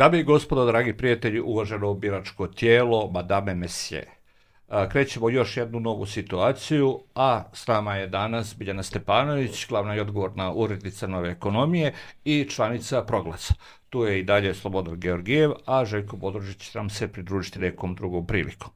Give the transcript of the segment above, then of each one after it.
Dame i gospodo, dragi prijatelji, uvaženo biračko tijelo, madame mesije. Krećemo još jednu novu situaciju, a s nama je danas Biljana Stepanović, glavna i odgovorna urednica Nove ekonomije i članica Proglasa. Tu je i dalje Slobodan Georgijev, a Željko Bodrožić će nam se pridružiti nekom drugom prilikom.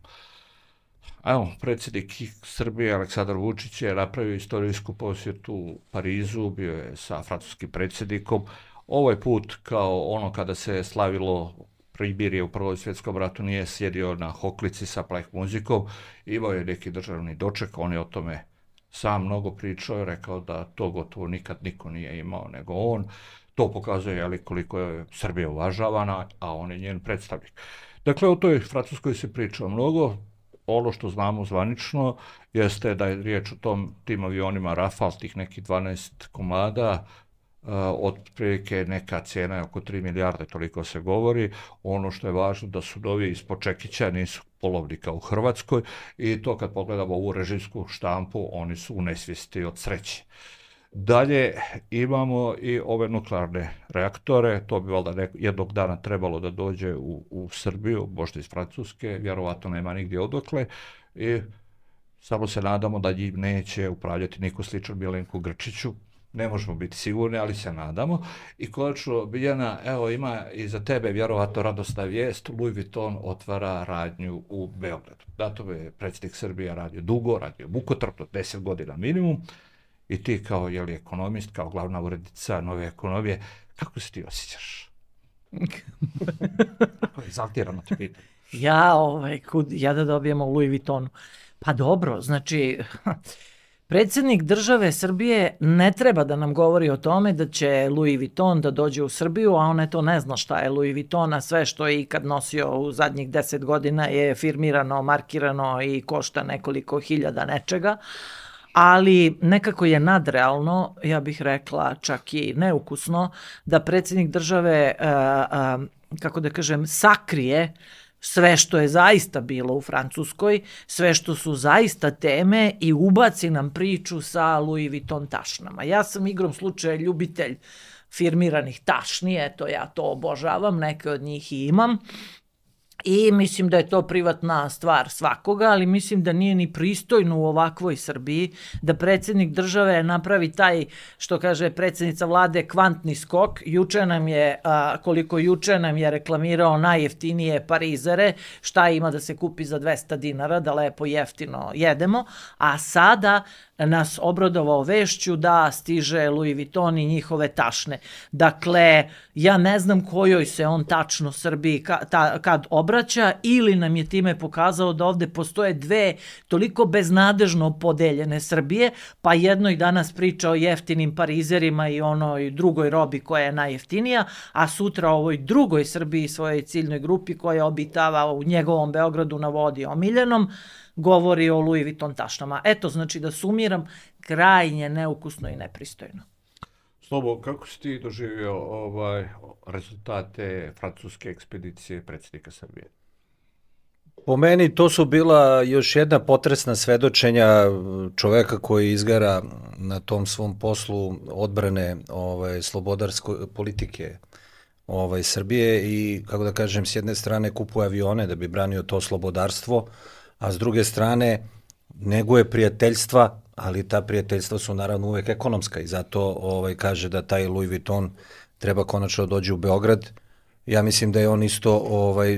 Evo, predsjednik Srbije Aleksandar Vučić je napravio istorijsku posjetu u Parizu, bio je sa francuskim predsjednikom. Ovaj put, kao ono kada se slavilo primirje u Prvom svjetskom ratu, nije sjedio na hoklici sa pleh muzikom, imao je neki državni doček, on je o tome sam mnogo pričao i rekao da to gotovo nikad niko nije imao nego on. To pokazuje koliko je Srbija uvažavana, a on je njen predstavnik. Dakle, o toj Francuskoj se priča mnogo. Ono što znamo zvanično jeste da je riječ o tim avionima Rafale, tih nekih 12 komada, otprilike neka cijena je oko 3 milijarde, toliko se govori. Ono što je važno da su novi ispod čekića, nisu polovnika u Hrvatskoj, i to kad pogledamo ovu režimsku štampu, oni su u nesvijesti od sreće. Dalje imamo i ove nuklearne reaktore, to bi valjda jednog dana trebalo da dođe u Srbiju, možda iz Francuske, vjerovatno nema nigdje odakle, i samo se nadamo da njim neće upravljati niko sličan Milenku Grčiću. Ne možemo biti sigurni, ali se nadamo. I konačno, Biljana, evo ima i za tebe vjerovatno radosna vijest, Louis Vuitton otvara radnju u Beogradu. Na tome je predsjednik Srbije radio dugo, radio mukotrpno, 10 godina minimum, i ti kao ekonomist, kao glavna urednica Nove ekonomije, kako se ti osjećaš? Kako je exaltirano te pitam. Ja da dobijemo Louis Vuittonu. Pa dobro, znači, predsjednik države Srbije ne treba da nam govori o tome da će Louis Vuitton da dođe u Srbiju, a on eto ne zna šta je Louis Vuitton, a sve što je ikad nosio u zadnjih 10 godina je firmirano, markirano i košta nekoliko hiljada nečega. Ali nekako je nadrealno, ja bih rekla čak i neukusno, da predsjednik države, kako da kažem, sakrije sve što je zaista bilo u Francuskoj, sve što su zaista teme i ubaci nam priču sa Louis Vuitton tašnama. Ja sam igrom slučaja ljubitelj firmiranih tašni, eto ja to obožavam, neke od njih i imam. I mislim da je to privatna stvar svakoga, ali mislim da nije ni pristojno u ovakvoj Srbiji da predsjednik države napravi taj, što kaže predsjednica vlade, kvantni skok. Koliko juče nam je reklamirao najjeftinije parizere, šta ima da se kupi za 200 dinara, da lepo jeftino jedemo, a sada nas obradovao vešću da stiže Louis Vuitton i njihove tašne. Dakle, ja ne znam kojoj se on tačno Srbiji kad obraća, ili nam je time pokazao da ovde postoje dve toliko beznadežno podeljene Srbije, pa jednoj danas priča o jeftinim parizerima i onoj drugoj robi koja je najjeftinija, a sutra o ovoj drugoj Srbiji, svojoj ciljnoj grupi koja obitava u njegovom Beogradu na vodi omiljenom, govori o Louis Vuitton tašnama. Eto, znači da sumiram, krajnje neukusno i nepristojno. Slobo, kako si ti doživio rezultate francuske ekspedicije predsjednika Srbije? Po meni to su bila još jedna potresna svedočenja čoveka koji izgara na tom svom poslu odbrane slobodarske politike Srbije i, kako da kažem, s jedne strane kupuje avione da bi branio to slobodarstvo, a s druge strane neguje prijateljstva, ali ta prijateljstva su naravno uvek ekonomska i zato kaže da taj Louis Vuitton treba konačno dođe u Beograd. Ja mislim da je on isto,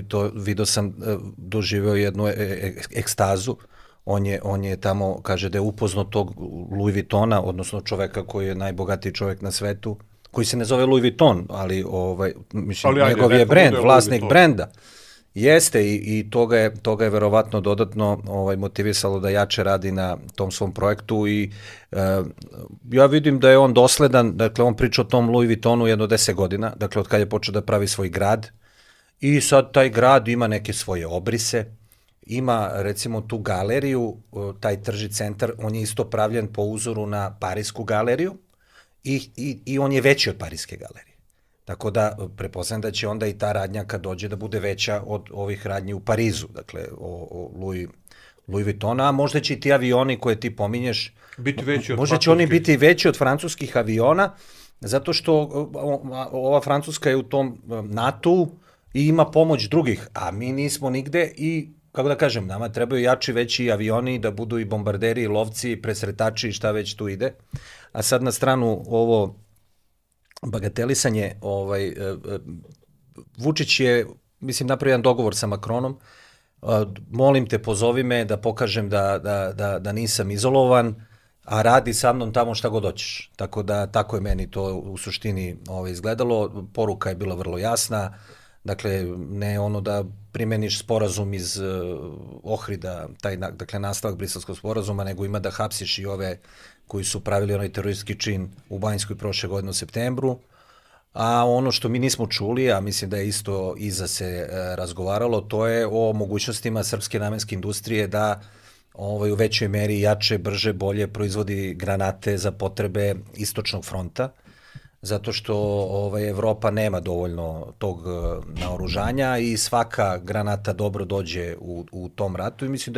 to vidio sam, doživeo jednu ekstazu. On je tamo, kaže da je upoznao tog Louis Vuittona, odnosno čoveka koji je najbogatiji čovek na svetu, koji se ne zove Louis Vuitton, ali njegov je brend, vlasnik brenda. Jeste i toga je verovatno dodatno motivisalo da jače radi na tom svom projektu i ja vidim da je on dosledan, dakle on priča o tom Louis Vuittonu jedno 10 godina, dakle od kada je počeo da pravi svoj grad i sad taj grad ima neke svoje obrise, ima recimo tu galeriju, taj tržni centar, on je isto pravljen po uzoru na Parisku galeriju i on je veći od Pariske galerije. Tako da prepostavljam da će onda i ta radnja kad dođe da bude veća od ovih radnji u Parizu, dakle o Louis Vuittona, a možda će i ti avioni koje ti pominješ, možda će oni biti veći od francuskih aviona, zato što ova Francuska je u tom NATO-u, i ima pomoć drugih, a mi nismo nigde i, kako da kažem, nama trebaju jači, veći avioni, da budu i bombarderi, i lovci, i presretači, i šta već tu ide. A sad na stranu ovo bagatelisanje, Vučić je, mislim, napravio jedan dogovor sa Macronom, molim te, pozovi me da pokažem da nisam izolovan, a radi sa mnom tamo šta god hoćeš. Tako da, tako je meni to u suštini izgledalo. Poruka je bila vrlo jasna. Dakle, ne ono da primeniš sporazum iz Ohrida, dakle, nastavak Briselskog sporazuma, nego ima da hapsiš i ove koji su pravili onaj teroristički čin u Banjskoj prošle godine u septembru. A ono što mi nismo čuli, a mislim da je isto iza se razgovaralo, to je o mogućnostima srpske namenske industrije da u većoj meri jače, brže, bolje proizvodi granate za potrebe istočnog fronta, zato što Evropa nema dovoljno tog naoružanja i svaka granata dobro dođe u tom ratu i mislim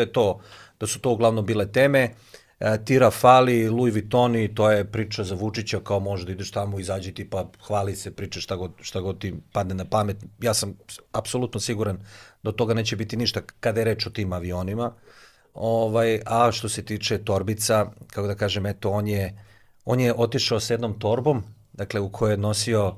da su to uglavnom bile teme. Ti Rafali, Louis Vuittoni, to je priča za Vučića, kao može da ideš tamo, izađi ti pa hvali se, priča šta god ti padne na pamet. Ja sam apsolutno siguran da od toga neće biti ništa kada je reč o tim avionima. A što se tiče torbica, kako da kažem, eto, on je otišao s jednom torbom, dakle, u kojoj je nosio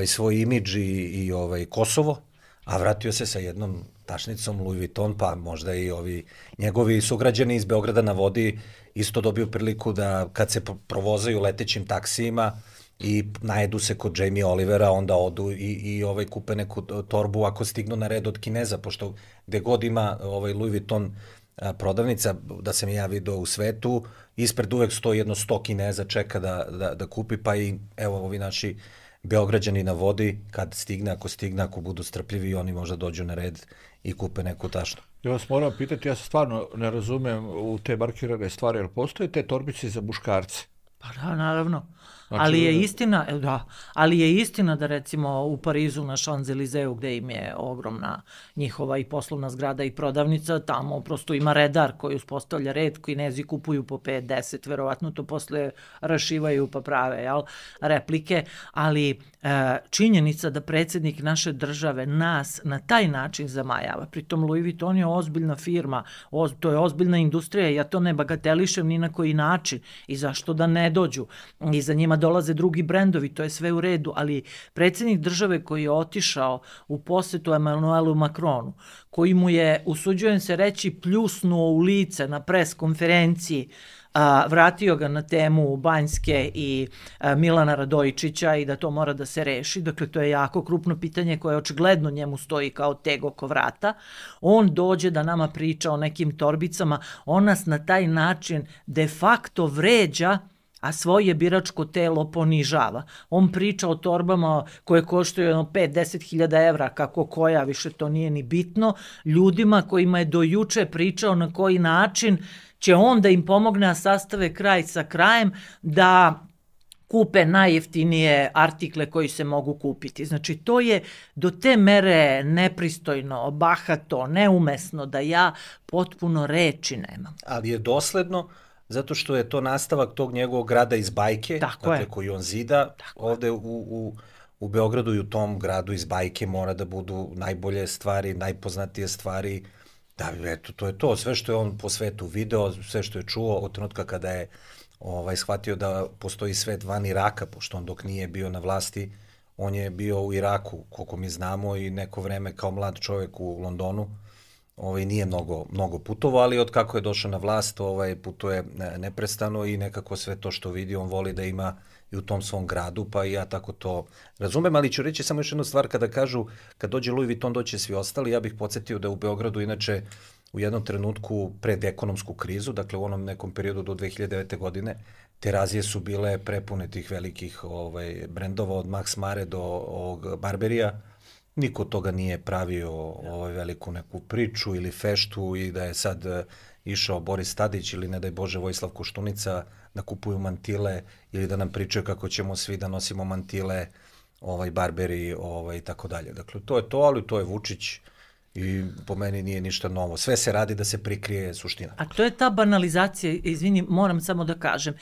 svoj imidž i Kosovo, a vratio se sa jednom tašnicom Louis Vuitton, pa možda i ovi njegovi sugrađani iz Beograda na vodi isto dobiju priliku da kad se provozaju letećim taksijima i najedu se kod Jamie Olivera, onda odu i kupe neku torbu ako stignu na red od Kineza, pošto gde god ima Louis Vuitton prodavnica, da sam ja video u svetu, ispred uvek stoji jedno 100 Kineza, čeka da kupi, pa i evo ovi naši Beograđani na vodi, kad stigne, ako budu strpljivi, oni možda dođu na red i kupe neku tašnu. Ja vas moram pitati, ja se stvarno ne razumem u te markirane stvari, jer postoje te torbice za muškarce? Pa da, naravno. Znači, ali je istina da recimo u Parizu na Champs-Élysées gde im je ogromna njihova i poslovna zgrada i prodavnica, tamo prosto ima redar koji uspostavlja red, Kinezi kupuju po 5-10, verovatno to posle rašivaju pa prave replike, ali činjenica da predsjednik naše države nas na taj način zamajava, pritom Louis Vuitton je ozbiljna firma, to je ozbiljna industrija, ja to ne bagatelišem ni na koji način i zašto da ne dođu i za njima dolaze drugi brendovi, to je sve u redu, ali predsjednik države koji je otišao u posetu Emmanuelu Macronu, koji mu je, usuđujem se reći, pljusnuo u lice na pres konferenciji, vratio ga na temu Banjske i Milana Radojičića i da to mora da se reši. Dakle, to je jako krupno pitanje koje očigledno njemu stoji kao teg oko vrata. On dođe da nama priča o nekim torbicama, on nas na taj način de facto vređa, a svoje biračko telo ponižava. On priča o torbama koje koštaju 5-10 hiljada evra, kako koja, više to nije ni bitno, ljudima kojima je do juče pričao na koji način će on da im pomogne, a sastave kraj sa krajem, da kupe najjeftinije artikle koji se mogu kupiti. Znači, to je do te mere nepristojno, bahato, neumesno, da ja potpuno reči nemam. Ali je dosledno, zato što je to nastavak tog njegovog grada iz bajke, dakle, koji on zida. Ovde u Beogradu i u tom gradu iz bajke mora da budu najbolje stvari, najpoznatije stvari. Da, eto, to je to. Sve što je on po svetu video, sve što je čuo od trenutka kada je shvatio da postoji svet van Iraka, pošto on dok nije bio na vlasti, on je bio u Iraku, koliko mi znamo, i neko vreme kao mlad čovjek u Londonu. Nije mnogo putovao, ali od kako je došao na vlast, putuje neprestano i nekako sve to što vidi on voli da ima i u tom svom gradu, pa i ja tako to razumem, ali ću reći samo još jednu stvar, kada kažu, kad dođe Louis Vuitton, doće svi ostali, ja bih podsjetio da u Beogradu, inače, u jednom trenutku pred ekonomsku krizu, dakle u onom nekom periodu do 2009. godine, Terazije su bile prepune tih velikih brendova, od Max Mare do ovog Barberija. Niko toga nije pravio veliku neku priču ili feštu i da je sad išao Boris Tadić ili ne daj Bože Vojislav Koštunica da kupuju mantile ili da nam pričaju kako ćemo svi da nosimo mantile, Barberi i tako dalje. Dakle, to je to, ali to je Vučić I po meni nije ništa novo. Sve se radi da se prikrije suština. A to je ta banalizacija, izvini, moram samo da kažem.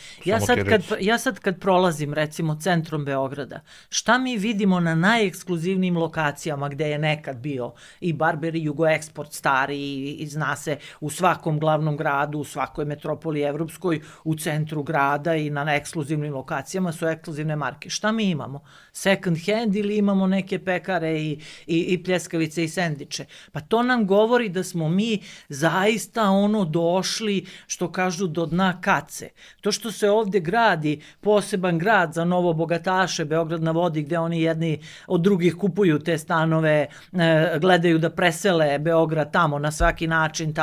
Ja sad kad prolazim recimo centrom Beograda, šta mi vidimo na najekskluzivnijim lokacijama gde je nekad bio i Barber i Jugoeksport stari i zna se u svakom glavnom gradu, u svakoj metropoli evropskoj, u centru grada i na ekskluzivnim lokacijama su ekskluzivne marke. Šta mi imamo? Second hand ili imamo neke pekare i pljeskavice i sendviče? Pa to nam govori da smo mi zaista došli, što kažu, do dna kace. To što se ovdje gradi poseban grad za novo bogataše, Beograd na vodi, gde oni jedni od drugih kupuju te stanove, gledaju da presele Beograd tamo na svaki način,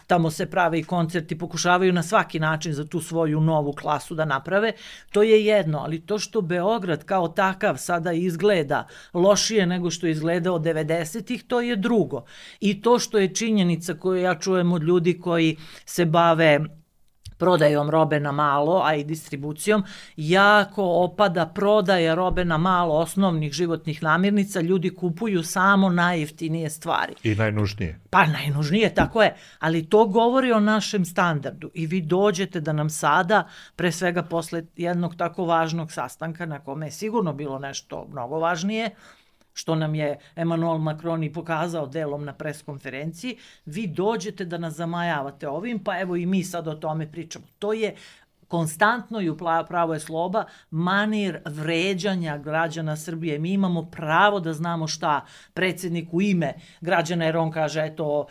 tamo se prave i koncerti, pokušavaju na svaki način za tu svoju novu klasu da naprave, to je jedno, ali to što Beograd kao takav sada izgleda lošije nego što je izgledao 90-ih, to je drugo. I to što je činjenica koju ja čujem od ljudi koji se bave prodajom robe na malo, a i distribucijom, jako opada prodaja robe na malo osnovnih životnih namirnica, ljudi kupuju samo najjeftinije stvari. I najnužnije. Pa najnužnije, tako je, ali to govori o našem standardu i vi dođete da nam sada, pre svega posle jednog tako važnog sastanka na kome je sigurno bilo nešto mnogo važnije, što nam je Emmanuel Macron i pokazao delom na preskonferenciji, vi dođete da nas zamajavate ovim, pa evo i mi sad o tome pričamo. To je konstantno i u pravo je sloba manir vređanja građana Srbije. Mi imamo pravo da znamo šta predsjednik u ime građana, jer on kaže, eto,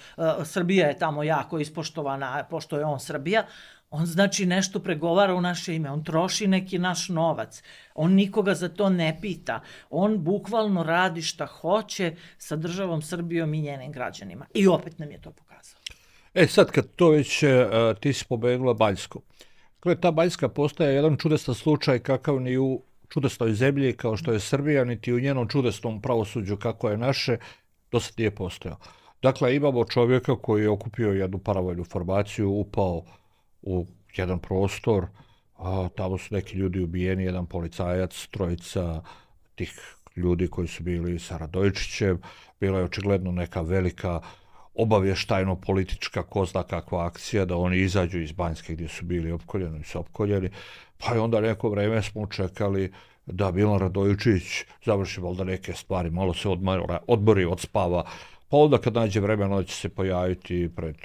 Srbija je tamo jako ispoštovana, pošto je on Srbija. On znači nešto pregovara u naše ime, on troši neki naš novac, on nikoga za to ne pita, on bukvalno radi šta hoće sa državom Srbijom i njenim građanima. I opet nam je to pokazao. Sad kad to već ti si pomenula Baljsku. Ta Baljska postaje jedan čudestan slučaj kakav ni u čudesnoj zemlji kao što je Srbija, niti u njenom čudesnom pravosuđu kako je naše, do sad nije postojao. Dakle, imamo čovjeka koji je okupio jednu paravojnu formaciju, upao u jedan prostor, tamo su neki ljudi ubijeni, jedan policajac, trojica tih ljudi koji su bili sa Radojičićem, bila je očigledno neka velika obavještajno-politička ko zna kakva akcija da oni izađu iz Banjske gdje su bili opkoljeni, pa je onda neko vreme smo čekali da Milan Radojičić završi valjda neke stvari, malo se odmori, odspava, pa onda kad nađe vremena će se pojaviti pred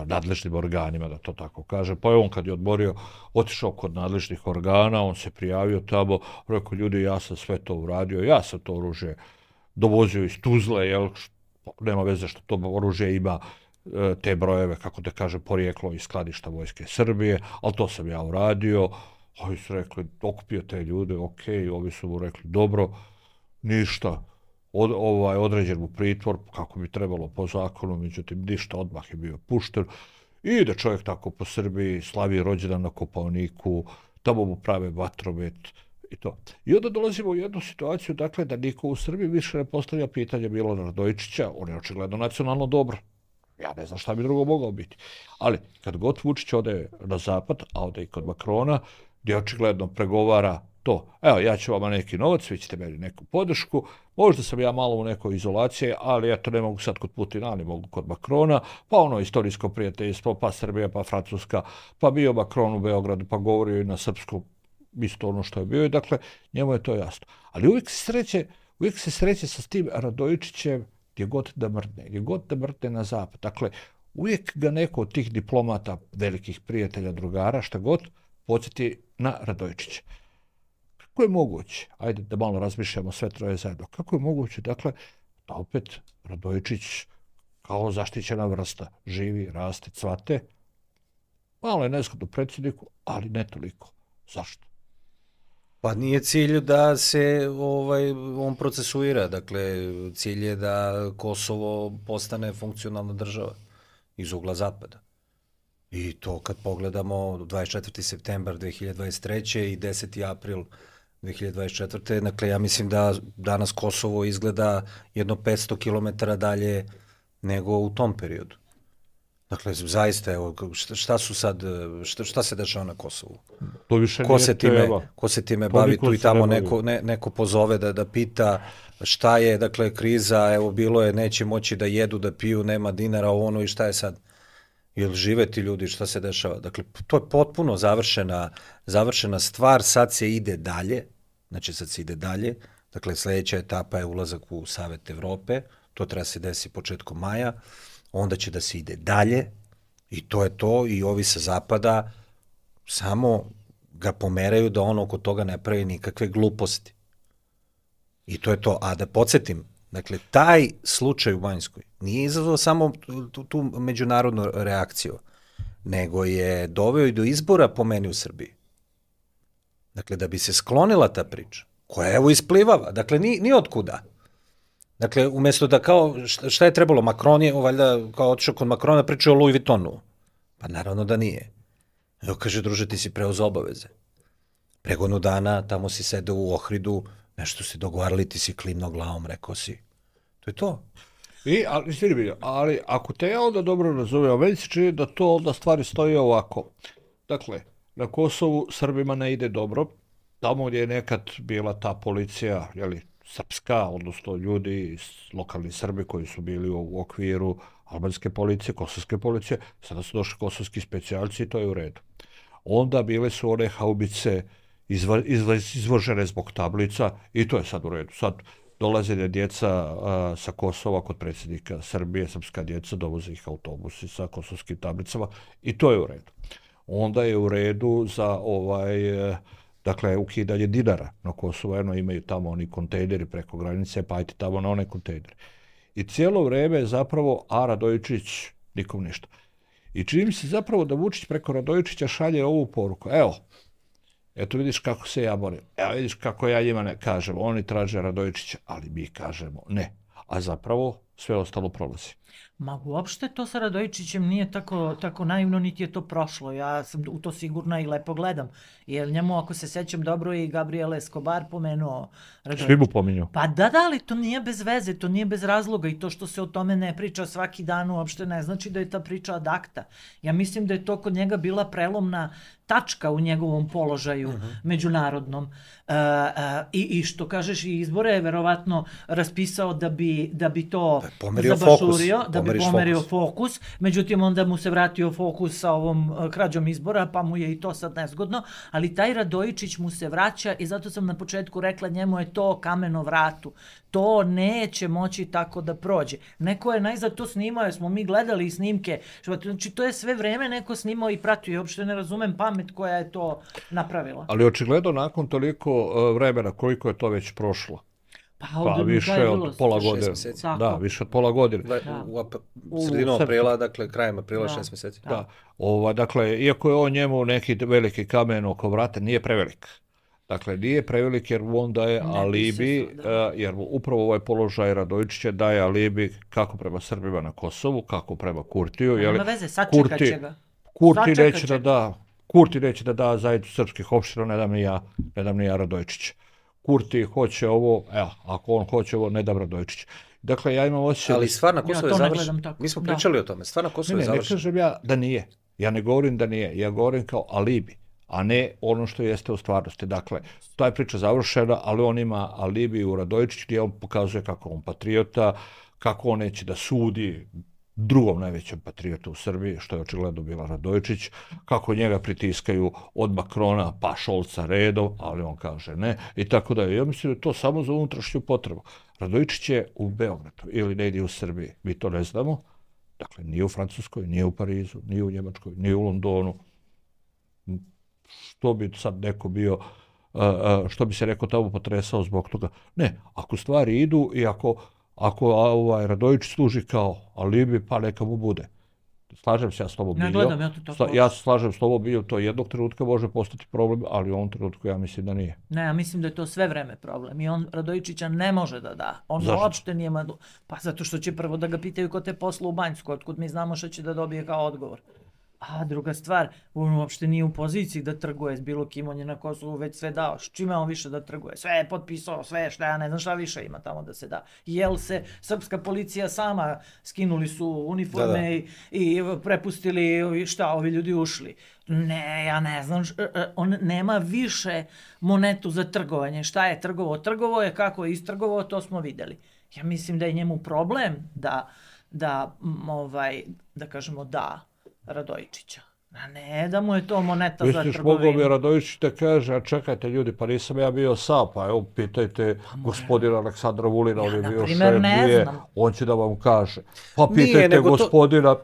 nadležnim organima, da to tako kaže. Pa je on kad je odmorio, otišao kod nadležnih organa, on se prijavio tamo, rekao, ljudi, ja sam sve to uradio, ja sam to oružje dovozio iz Tuzle, jel, nema veze što to oružje ima te brojeve, kako da kaže, porijeklo iz skladišta Vojske Srbije, ali to sam ja uradio. Ovi su rekli, okupio te ljude, okej, ovi su mu rekli, dobro, ništa, određen mu pritvor, kako bi trebalo po zakonu, međutim, ništa, odmah je bio pušten. I ide čovjek tako po Srbiji, slavi rođendan na Kopaoniku, tamo mu prave vatromet i to. I onda dolazimo u jednu situaciju, dakle, da niko u Srbiji više ne postavlja pitanje Milana Radojičića, on je očigledno nacionalno dobro. Ja ne znam šta bi drugo mogao biti. Ali, kad god Vučić ode na zapad, a ode i kod Makrona, gdje očigledno pregovara to, evo, ja ću vama neki novac, vi ćete meni neku podršku, možda sam ja malo u nekoj izolaciji, ali eto, ne mogu sad kod Putina, ali mogu kod Makrona, pa ono istorijsko prijateljstvo, pa Srbija, pa Francuska, pa bio Makron u Beogradu, pa govorio i na srpskom, isto ono što je bio, i dakle, njemu je to jasno. Ali uvijek se sreće sa tim Radojičićem gdje god da mrdne na zapad. Dakle, uvijek ga neko od tih diplomata, velikih prijatelja, drugara, šta god, podsjeti na Radojičića. Kako je moguće, ajde da malo razmišljamo sve troje zajedno, kako je moguće, dakle, da opet Radojičić kao zaštićena vrsta živi, raste, cvate, malo je nezgodno predsjedniku, ali ne toliko. Zašto? Pa nije cilj da se on procesuira, dakle cilj je da Kosovo postane funkcionalna država iz ugla zapada. I to kad pogledamo 24. septembar 2023. i 10. april 2024. Dakle, ja mislim da danas Kosovo izgleda jedno 500 km dalje nego u tom periodu. Dakle, zaista, evo, šta su sad, šta se dešava na Kosovu? To više nije tema. Ko se time To bavi, niko tu i se tamo ne bavi. neko pozove da pita šta je, dakle, kriza, evo, bilo je, neće moći da jedu, da piju, nema dinara, ono i šta je sad? Jel žive ti ljudi, šta se dešava? Dakle, to je potpuno završena stvar, sad se ide dalje, dakle, sledeća etapa je ulazak u Savet Evrope, to treba se desi početkom maja, onda će da se ide dalje i to je to i ovi sa zapada samo ga pomeraju da ono oko toga ne pravi nikakve gluposti. I to je to. A da podsjetim, dakle, taj slučaj u Banjskoj nije izazvao samo tu međunarodnu reakciju, nego je doveo i do izbora po meni u Srbiji. Dakle, da bi se sklonila ta priča, koja evo isplivava, dakle, ni od kuda. Dakle, umjesto da kao, šta je trebalo, Macron je, valjda, kao otišao kod Macrona, pričao o Louis Vuittonu. Pa naravno da nije. Evo kaže, druže, ti si preuzeo obaveze. Pre godinu dana, tamo si sedeo u Ohridu, nešto si dogovarali, ti si klimno glavom, rekao si. To je to. Ali ako te ja onda dobro razumem, meni se čini da to onda stvari stoji ovako. Dakle, na Kosovu Srbima ne ide dobro. Tamo gdje je nekad bila ta policija, srpska, odnosno ljudi, lokalni Srbi koji su bili u okviru albanske policije, kosovske policije, sada su došli kosovski specijalci i to je u redu. Onda bile su one haubice izvožene zbog tablica i to je sad u redu. Sad dolaze djeca sa Kosova kod predsjednika Srbije, srpska djeca, dovoze ih autobusi sa kosovskim tablicama i to je u redu. Onda je u redu za dakle, ukidanje dinara na Kosovu, imaju tamo oni kontejneri preko granice, pa ajte tamo na one kontejneri. I cijelo vreme zapravo, a Radojičić nikom ništa. I čini mi se zapravo da Vučić preko Radojičića šalje ovu poruku. Eto vidiš kako se ja borim. Evo vidiš kako ja njima ne kažem. Oni traže Radojičića, ali mi kažemo ne. A zapravo sve ostalo prolazi. Ma uopšte to sa Radojičićem nije tako naivno, niti je to prošlo. Ja sam u to sigurna i lepo gledam. Jer njemu, ako se sećam dobro, i Gabriel Escobar pomenuo Radojičića. Svi mu pominju. Pa da, ali to nije bez veze, to nije bez razloga i to što se o tome ne priča svaki dan uopšte ne znači da je ta priča ad acta. Ja mislim da je to kod njega bila prelomna tačka u njegovom položaju međunarodnom. I što kažeš, i izbore je verovatno raspisao da bi to zabašurio, da bi pomerio fokus. Međutim, onda mu se vratio fokus sa ovom krađom izbora, pa mu je i to sad nezgodno. Ali taj Radojičić mu se vraća i zato sam na početku rekla, njemu je to kamen o vratu. To neće moći tako da prođe. Neko je najzad to snimao, jer smo mi gledali snimke. Znači, to je sve vreme neko snimao i pratio. I uopšte ne razumem pamet koja je to napravila. Ali očigledno nakon toliko vremena, koliko je to već prošlo? Pa više od pola godine. Da, više od pola godine. U sredinu aprila, dakle, krajem aprila, 6 mjeseci. Da. Dakle, iako je on njemu neki veliki kamen oko vrata, nije prevelik. Dakle, nije prevelik jer on daje alibi, jer upravo ovaj položaj Radojičića daje alibi kako prema Srbima na Kosovu, kako prema Kurtiju. Nema veze, sačekat će ga. Kurti neće da da zajednicu srpskih opština, ne dam ni ja Radojičića. Kurti hoće ovo, ako on hoće ovo, ne dam Radojičić. Dakle, ja imam osjećaj... Ali stvar na Kosovo je završena. Mi smo pričali o tome, stvar na Kosovo je završena. Ne kažem ja da nije. Ja ne govorim da nije. Ja govorim kao alibi, a ne ono što jeste u stvarnosti. Dakle, ta je priča završena, ali on ima alibi u Radojičiću gdje on pokazuje kako on patriota, kako on neće da sudi drugom najvećem patriotu u Srbiji, što je očigledno bila Radojičić, kako njega pritiskaju od Macrona pa Šolca redom, ali on kaže ne, i tako da je. Ja mislim da je to samo za unutrašnju potrebu. Radojičić je u Beogradu ili negdje u Srbiji, mi to ne znamo, dakle nije u Francuskoj, nije u Parizu, nije u Njemačkoj, nije u Londonu. Što bi sad neko bio, što bi se neko tamo potresao zbog toga? Ne, ako stvari idu i ako Radojičić služi kao alibi, pa neka mu bude. Slažem se ja s tobom bio. Ne gledam, ja to tako. Ja se slažem s tobom bio, to jednog trenutka može postati problem, ali u ovom trenutku ja mislim da nije. Ne, ja mislim da je to sve vreme problem i on Radojičića ne može da da. On uopšte nije pa zato što će prvo da ga pitaju ko te posla u Banjsku, otkud mi znamo što će da dobije kao odgovor. A druga stvar, on uopšte nije u poziciji da trguje s bilo kim, on je na Kosovu već sve dao. Čime on više da trguje? Sve je potpisao, sve šta, ja ne znam šta više ima tamo da se da. Jel se srpska policija sama, skinuli su uniforme i prepustili, šta, ovi ljudi ušli. Ne, ja ne znam, on nema više monetu za trgovanje. Šta je trgovao? Trgovao je, kako je istrgovao, to smo videli. Ja mislim da je njemu problem da kažemo da Radojičića. A ne da mu je to moneta za trgovinu. Misliš, mogao bi Radojičić da kaže, a čekajte ljudi, pa nisam ja bio sam, pa evo pitajte gospodina Aleksandra Vulina, on je bio šef dvije, on će da vam kaže. Pa pitajte gospodina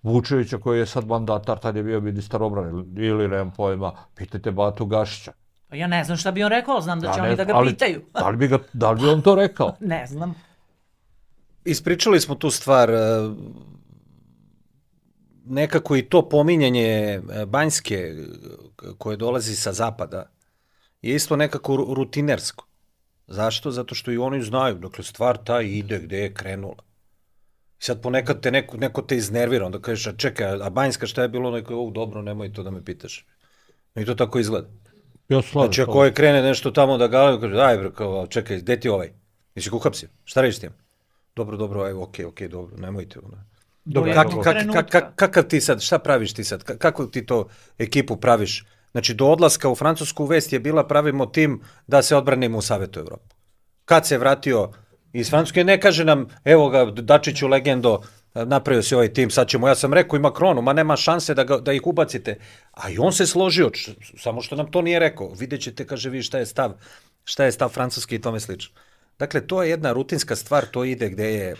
Vučevića koji je sad mandatar, tad je bio ministar obrane, ili nemam pojma, pitajte Batu Gašića. Ja ne znam šta bi on rekao, znam da će oni da ga pitaju. Da li bi on to rekao? Ne znam. Ispričali smo tu stvar, nekako i to pominjanje Banjske koje dolazi sa zapada je isto nekako rutinersko. Zašto? Zato što i oni znaju, dakle stvar ta ide gde je krenula. I sad ponekad te neko te iznervira, onda kažeš, a čekaj, a Banjska šta je bilo, neko, dobro, nemoj to da me pitaš. I to tako izgleda. Znači ako je krene nešto tamo da gale, kaže, daj bre, kao, čekaj, gde ti ovaj? Nisi ga uhapsio? Šta radiš s tim? Dobro, evo, okej, dobro, nemojte. Kakav ti sad, šta praviš ti sad? Kako ti to ekipu praviš? Znači, do odlaska u Francusku vest je bila pravimo tim da se odbranimo u Savetu Evrope. Kad se vratio iz Francuske, ne kaže nam, evo ga, Dačiću legendo, napravio si ovaj tim, sad ćemo, ja sam rekao i Macronu, ma nema šanse da ih ubacite. A i on se složio, samo što nam to nije rekao. Vidjet ćete, kaže, vi šta je stav Francuske i tome slično. Dakle, to je jedna rutinska stvar, to ide gde je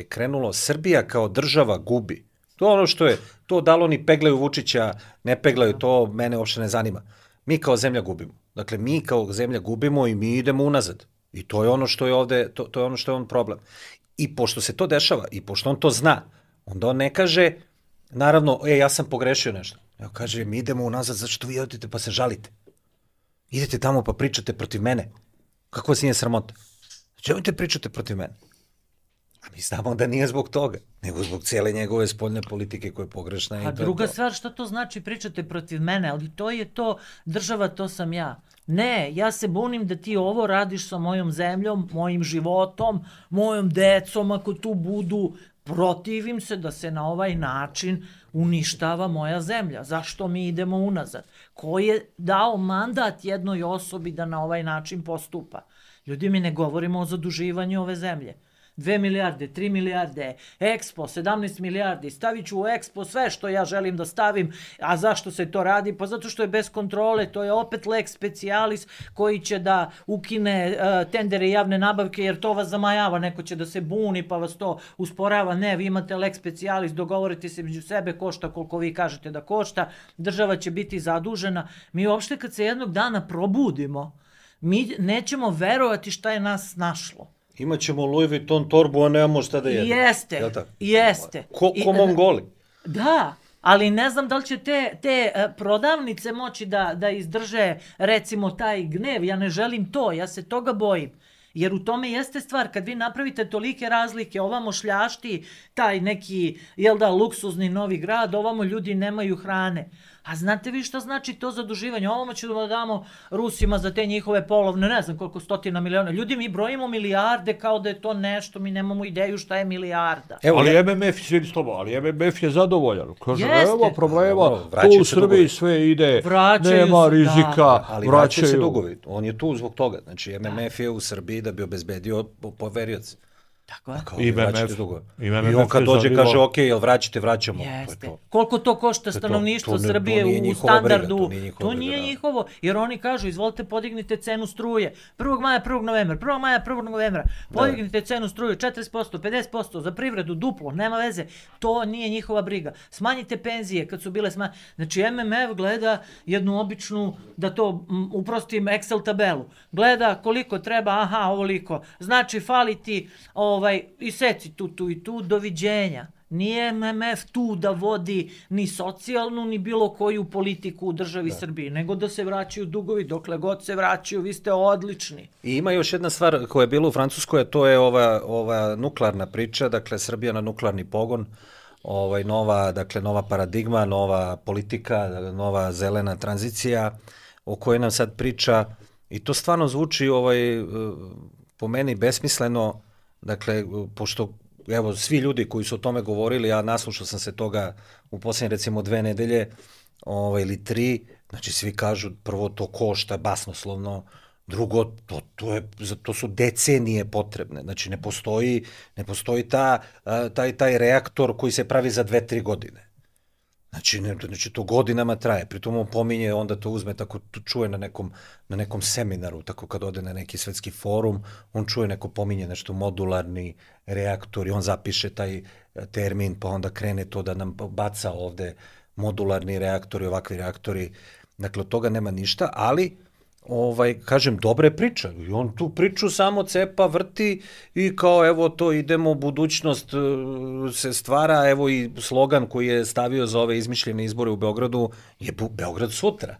krenulo. Srbija kao država gubi. To je ono što je, to da li oni peglaju Vučića, ne peglaju, to mene uopšte ne zanima. Mi kao zemlja gubimo. Dakle, mi kao zemlja gubimo i mi idemo unazad. I to je ono što je ovde, to je ono što je on problem. I pošto se to dešava, i pošto on to zna, onda on ne kaže, naravno, ja sam pogrešio nešto. Evo kaže, mi idemo unazad, zašto vi odete pa se žalite? Idete tamo pa pričate protiv mene. Kako vas nije sramota? Čemu te pričate protiv mene? A mi znamo da nije zbog toga, nego zbog cijele njegove spoljne politike koja je pogrešna. A druga stvar, što to znači pričate protiv mene? Ali to je to, država, to sam ja. Ne, ja se bunim da ti ovo radiš sa mojom zemljom, mojim životom, mojom decom ako tu budu. Protivim se da se na ovaj način uništava moja zemlja. Zašto mi idemo unazad? Ko je dao mandat jednoj osobi da na ovaj način postupa? Ljudi, mi ne govorimo o zaduživanju ove zemlje. 2 milijarde, 3 milijarde, Expo, 17 milijardi, stavit ću u Expo sve što ja želim da stavim, a zašto se to radi? Pa zato što je bez kontrole, to je opet lex specialis koji će da ukine tendere i javne nabavke jer to vas zamajava, neko će da se buni pa vas to usporava. Ne, vi imate lex specialis, dogovorite se među sebe, košta koliko vi kažete da košta, država će biti zadužena. Mi uopšte kad se jednog dana probudimo, mi nećemo verovati šta je nas snašlo. Imaćemo Louis Vuitton torbu, a nemamo šta da jedemo. Jeste. Ko Mongoli. Da, ali ne znam da li će te prodavnice moći da izdrže, recimo, taj gnev. Ja ne želim to, ja se toga bojim. Jer u tome jeste stvar, kad vi napravite tolike razlike, ovamo šljašti taj neki, luksuzni Novi Grad, ovamo ljudi nemaju hrane. A znate vi šta znači to zaduživanje? Ovamo ćemo da damo Rusima za te njihove polovne, ne znam koliko stotina miliona. Ljudi, mi brojimo milijarde kao da je to nešto, mi nemamo ideju šta je milijarda. Ali MMF je zadovoljan. Kaže, evo problema, tu u Srbiji sve ide, nema rizika, vraćaju se dugovi. On je tu zbog toga. Znači, MMF je u Srbiji da bi obezbedio poverioce. Tako je. I on kad dođe kaže, ok, jel vraćate, vraćamo. Jeste. Koliko to košta stanovništvo Srbije u standardu? To nije njihovo, jer oni kažu, izvolite podignite cenu struje. 1. maja, 1. novembra, 1. maja, 1. novembra. Podignite cenu struje 40%, 50%, za privredu duplo, nema veze. To nije njihova briga. Smanjite penzije kad su bile smanjene. Znači, MMF gleda jednu običnu, da to uprostim, Excel tabelu. Gleda koliko treba, ovoliko. Znači, fali ti iseci tu i tu, doviđenja. Nije MMF tu da vodi ni socijalnu, ni bilo koju politiku u državi Srbiji, nego da se vraćaju dugovi, dokle god se vraćaju, vi ste odlični. I ima još jedna stvar koja je bila u Francuskoj, a to je ova nuklearna priča, dakle Srbija na nuklearni pogon. nova paradigma, nova politika, nova zelena tranzicija o kojoj nam sad priča i to stvarno zvuči po meni besmisleno, dakle, pošto evo, svi ljudi koji su o tome govorili, ja naslušao sam se toga u posljednje recimo 2 nedelje ili 3, znači svi kažu prvo to košta basnoslovno, drugo, to su decenije potrebne, znači ne postoji taj reaktor koji se pravi za 2-3 godine. Znači to godinama traje, pritom on pominje, onda to uzme, tako čuje na nekom seminaru, tako kad ode na neki svetski forum, on čuje neko pominje nešto modularni reaktor i on zapiše taj termin, pa onda krene to da nam baca ovde modularni reaktori, ovakvi reaktori, dakle od toga nema ništa, ali kažem, dobra je priča i on tu priču samo cepa, vrti i kao evo to idemo, budućnost se stvara, evo i slogan koji je stavio za ove izmišljene izbore u Beogradu je Beograd sutra.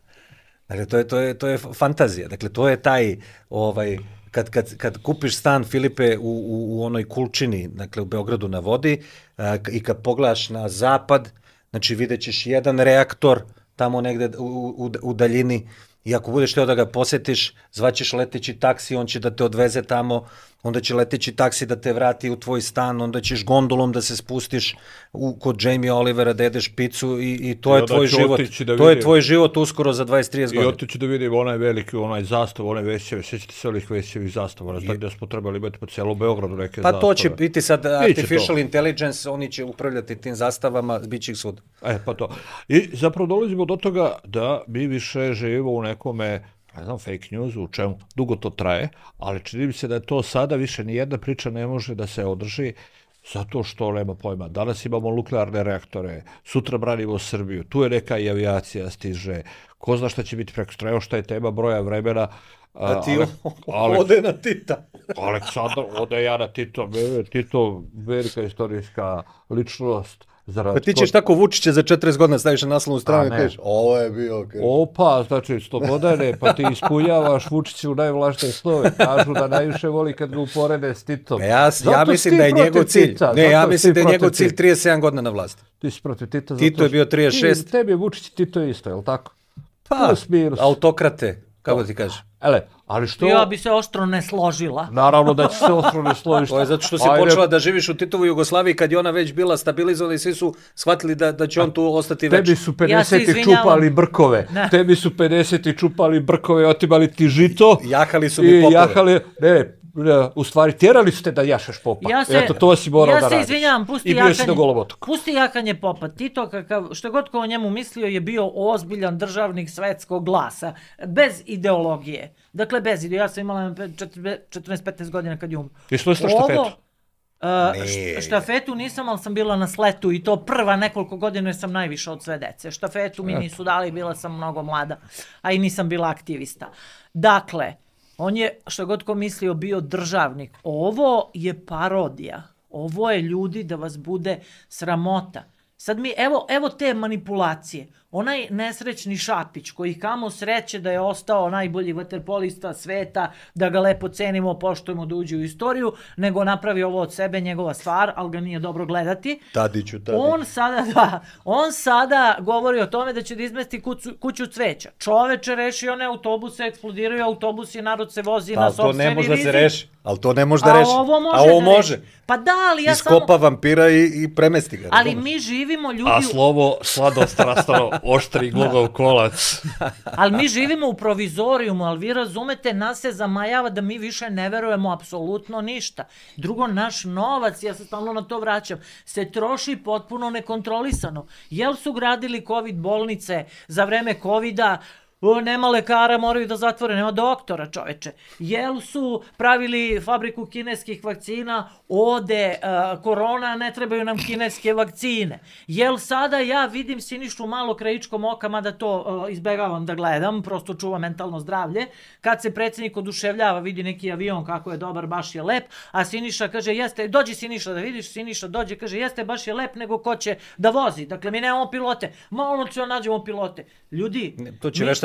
Dakle, to je fantazija, dakle to je taj, kad kupiš stan, Filipe, u onoj Kulčini, dakle u Beogradu na vodi i kad pogledaš na zapad, znači vidjet ćeš jedan reaktor tamo negde u daljini. I ako budeš teo da ga posetiš, zvaćeš leteći taksi, on će da te odveze tamo, onda će leteći taksi da te vrati u tvoj stan, onda ćeš gondolom da se spustiš kod Jamie Olivera da jedeš picu i to je tvoj život. To je tvoj život uskoro za 20-30 godina. I otiću da vidim onaj veliki, onaj zastav, onaj Vesićevi, sjećate se ovih Vesićevih zastava, gdje smo trebali imati po cijelom Beogradu neke zastave. Pa to će biti sad artificial intelligence, oni će upravljati tim zastavama, bit će ih svud. Pa to. I zapravo dolazimo do toga da mi više živimo u nekome, ne znam, fake news, u čemu dugo to traje, ali čini mi se da je to sada više nijedna priča ne može da se održi zato što nema pojma. Danas imamo nuklearne reaktore, sutra branimo Srbiju, tu je neka i avijacija stiže, ko zna šta će biti preko strane, šta je tema broja vremena. A ti ode na Tita. Aleksandar, ode ja na Tito, Tito, velika istorijska ličnost. Pa ti ćeš tako Vučića za 40 godina staviš na naslovnu stranu i kažeš, ovo je bio... Opa, znači 100 godine, pa ti ispunjavaš Vučiću najvlaštije snove. Kažu da najviše voli kad ga uporede s Titom. Ja mislim da je njegov cilj. Ja mislim da je njegov cilj 37 godina na vlasti. Ti si protiv Tita. Tito je bio 36. Tebi je Vučić i Tito isto, je li tako? Pa, autokrate, kako ti kažeš. Ali što... Ja bi se oštro ne složila. Naravno da će se oštro ne složiti. To je zato što si počela da živiš u Titovoj Jugoslaviji kad je ona već bila stabilizovana i svi su shvatili da će on tu ostati već. Tebi su 50 čupali brkove. Tebi su 50 čupali brkove, otimali ti žito. Jahali su mi popove. U stvari, tjerali su te da jašeš popa. Eto, to si morao da radiš. Ja se izvinjavam, pusti jahanje popa. Tito, što god ko o njemu mislio, je bio ozbiljan državnik svetskog glasa. Bez ideologije. Dakle, bez ideologije. Ja sam imala 14-15 godina kad je umro. I što je štafetu? Štafetu nisam, ali sam bila na sletu i to prva nekoliko godina jer sam najviše od sve dece. Štafetu mi nisu dali, bila sam mnogo mlada, a i nisam bila aktivista. Dakle, on je, što god ko mislio, bio državnik. Ovo je parodija. Ovo je, ljudi, da vas bude sramota. Sad mi, evo te manipulacije. Onaj nesrećni Šapić, koji kamo sreće da je ostao najbolji vaterpolista sveta, da ga lepo cenimo, poštujemo, da uđe u istoriju, nego napravi ovo od sebe, njegova stvar, ali ga nije dobro gledati. Tadiću. On sada govori o tome da će da izmesti kuću cveća. Čoveče, reši one autobuse, eksplodiraju autobusi, narod se vozi na sopstveni rizik. Ali to ne može da reši. A ovo može. Pa da, ali ja samo... Iskopa vampira i premesti ga. Ali mi živimo, ljudi... A slovo sladost rastano oštri glugov kolac. Ali mi živimo u provizorijumu, ali vi razumete, nas se zamajava da mi više ne verujemo apsolutno ništa. Drugo, naš novac, ja se stalno na to vraćam, se troši potpuno nekontrolisano. Jel su gradili COVID bolnice za vreme COVID-a? Nema lekara, moraju da zatvore, nema doktora, čoveče. Jel su pravili fabriku kineskih vakcina, ode korona, ne trebaju nam kineske vakcine. Jel sada ja vidim Sinišu malo krajičkom oka, mada to izbegavam da gledam, prosto čuva mentalno zdravlje, kad se predsjednik oduševljava, vidi neki avion kako je dobar, baš je lep, a Siniša kaže, jeste, dođi Siniša da vidiš, Siniša dođe, kaže, jeste, baš je lep, nego ko će da vozi. Dakle, mi nemamo pilote, malo ćemo nađemo pilote. Ljudi,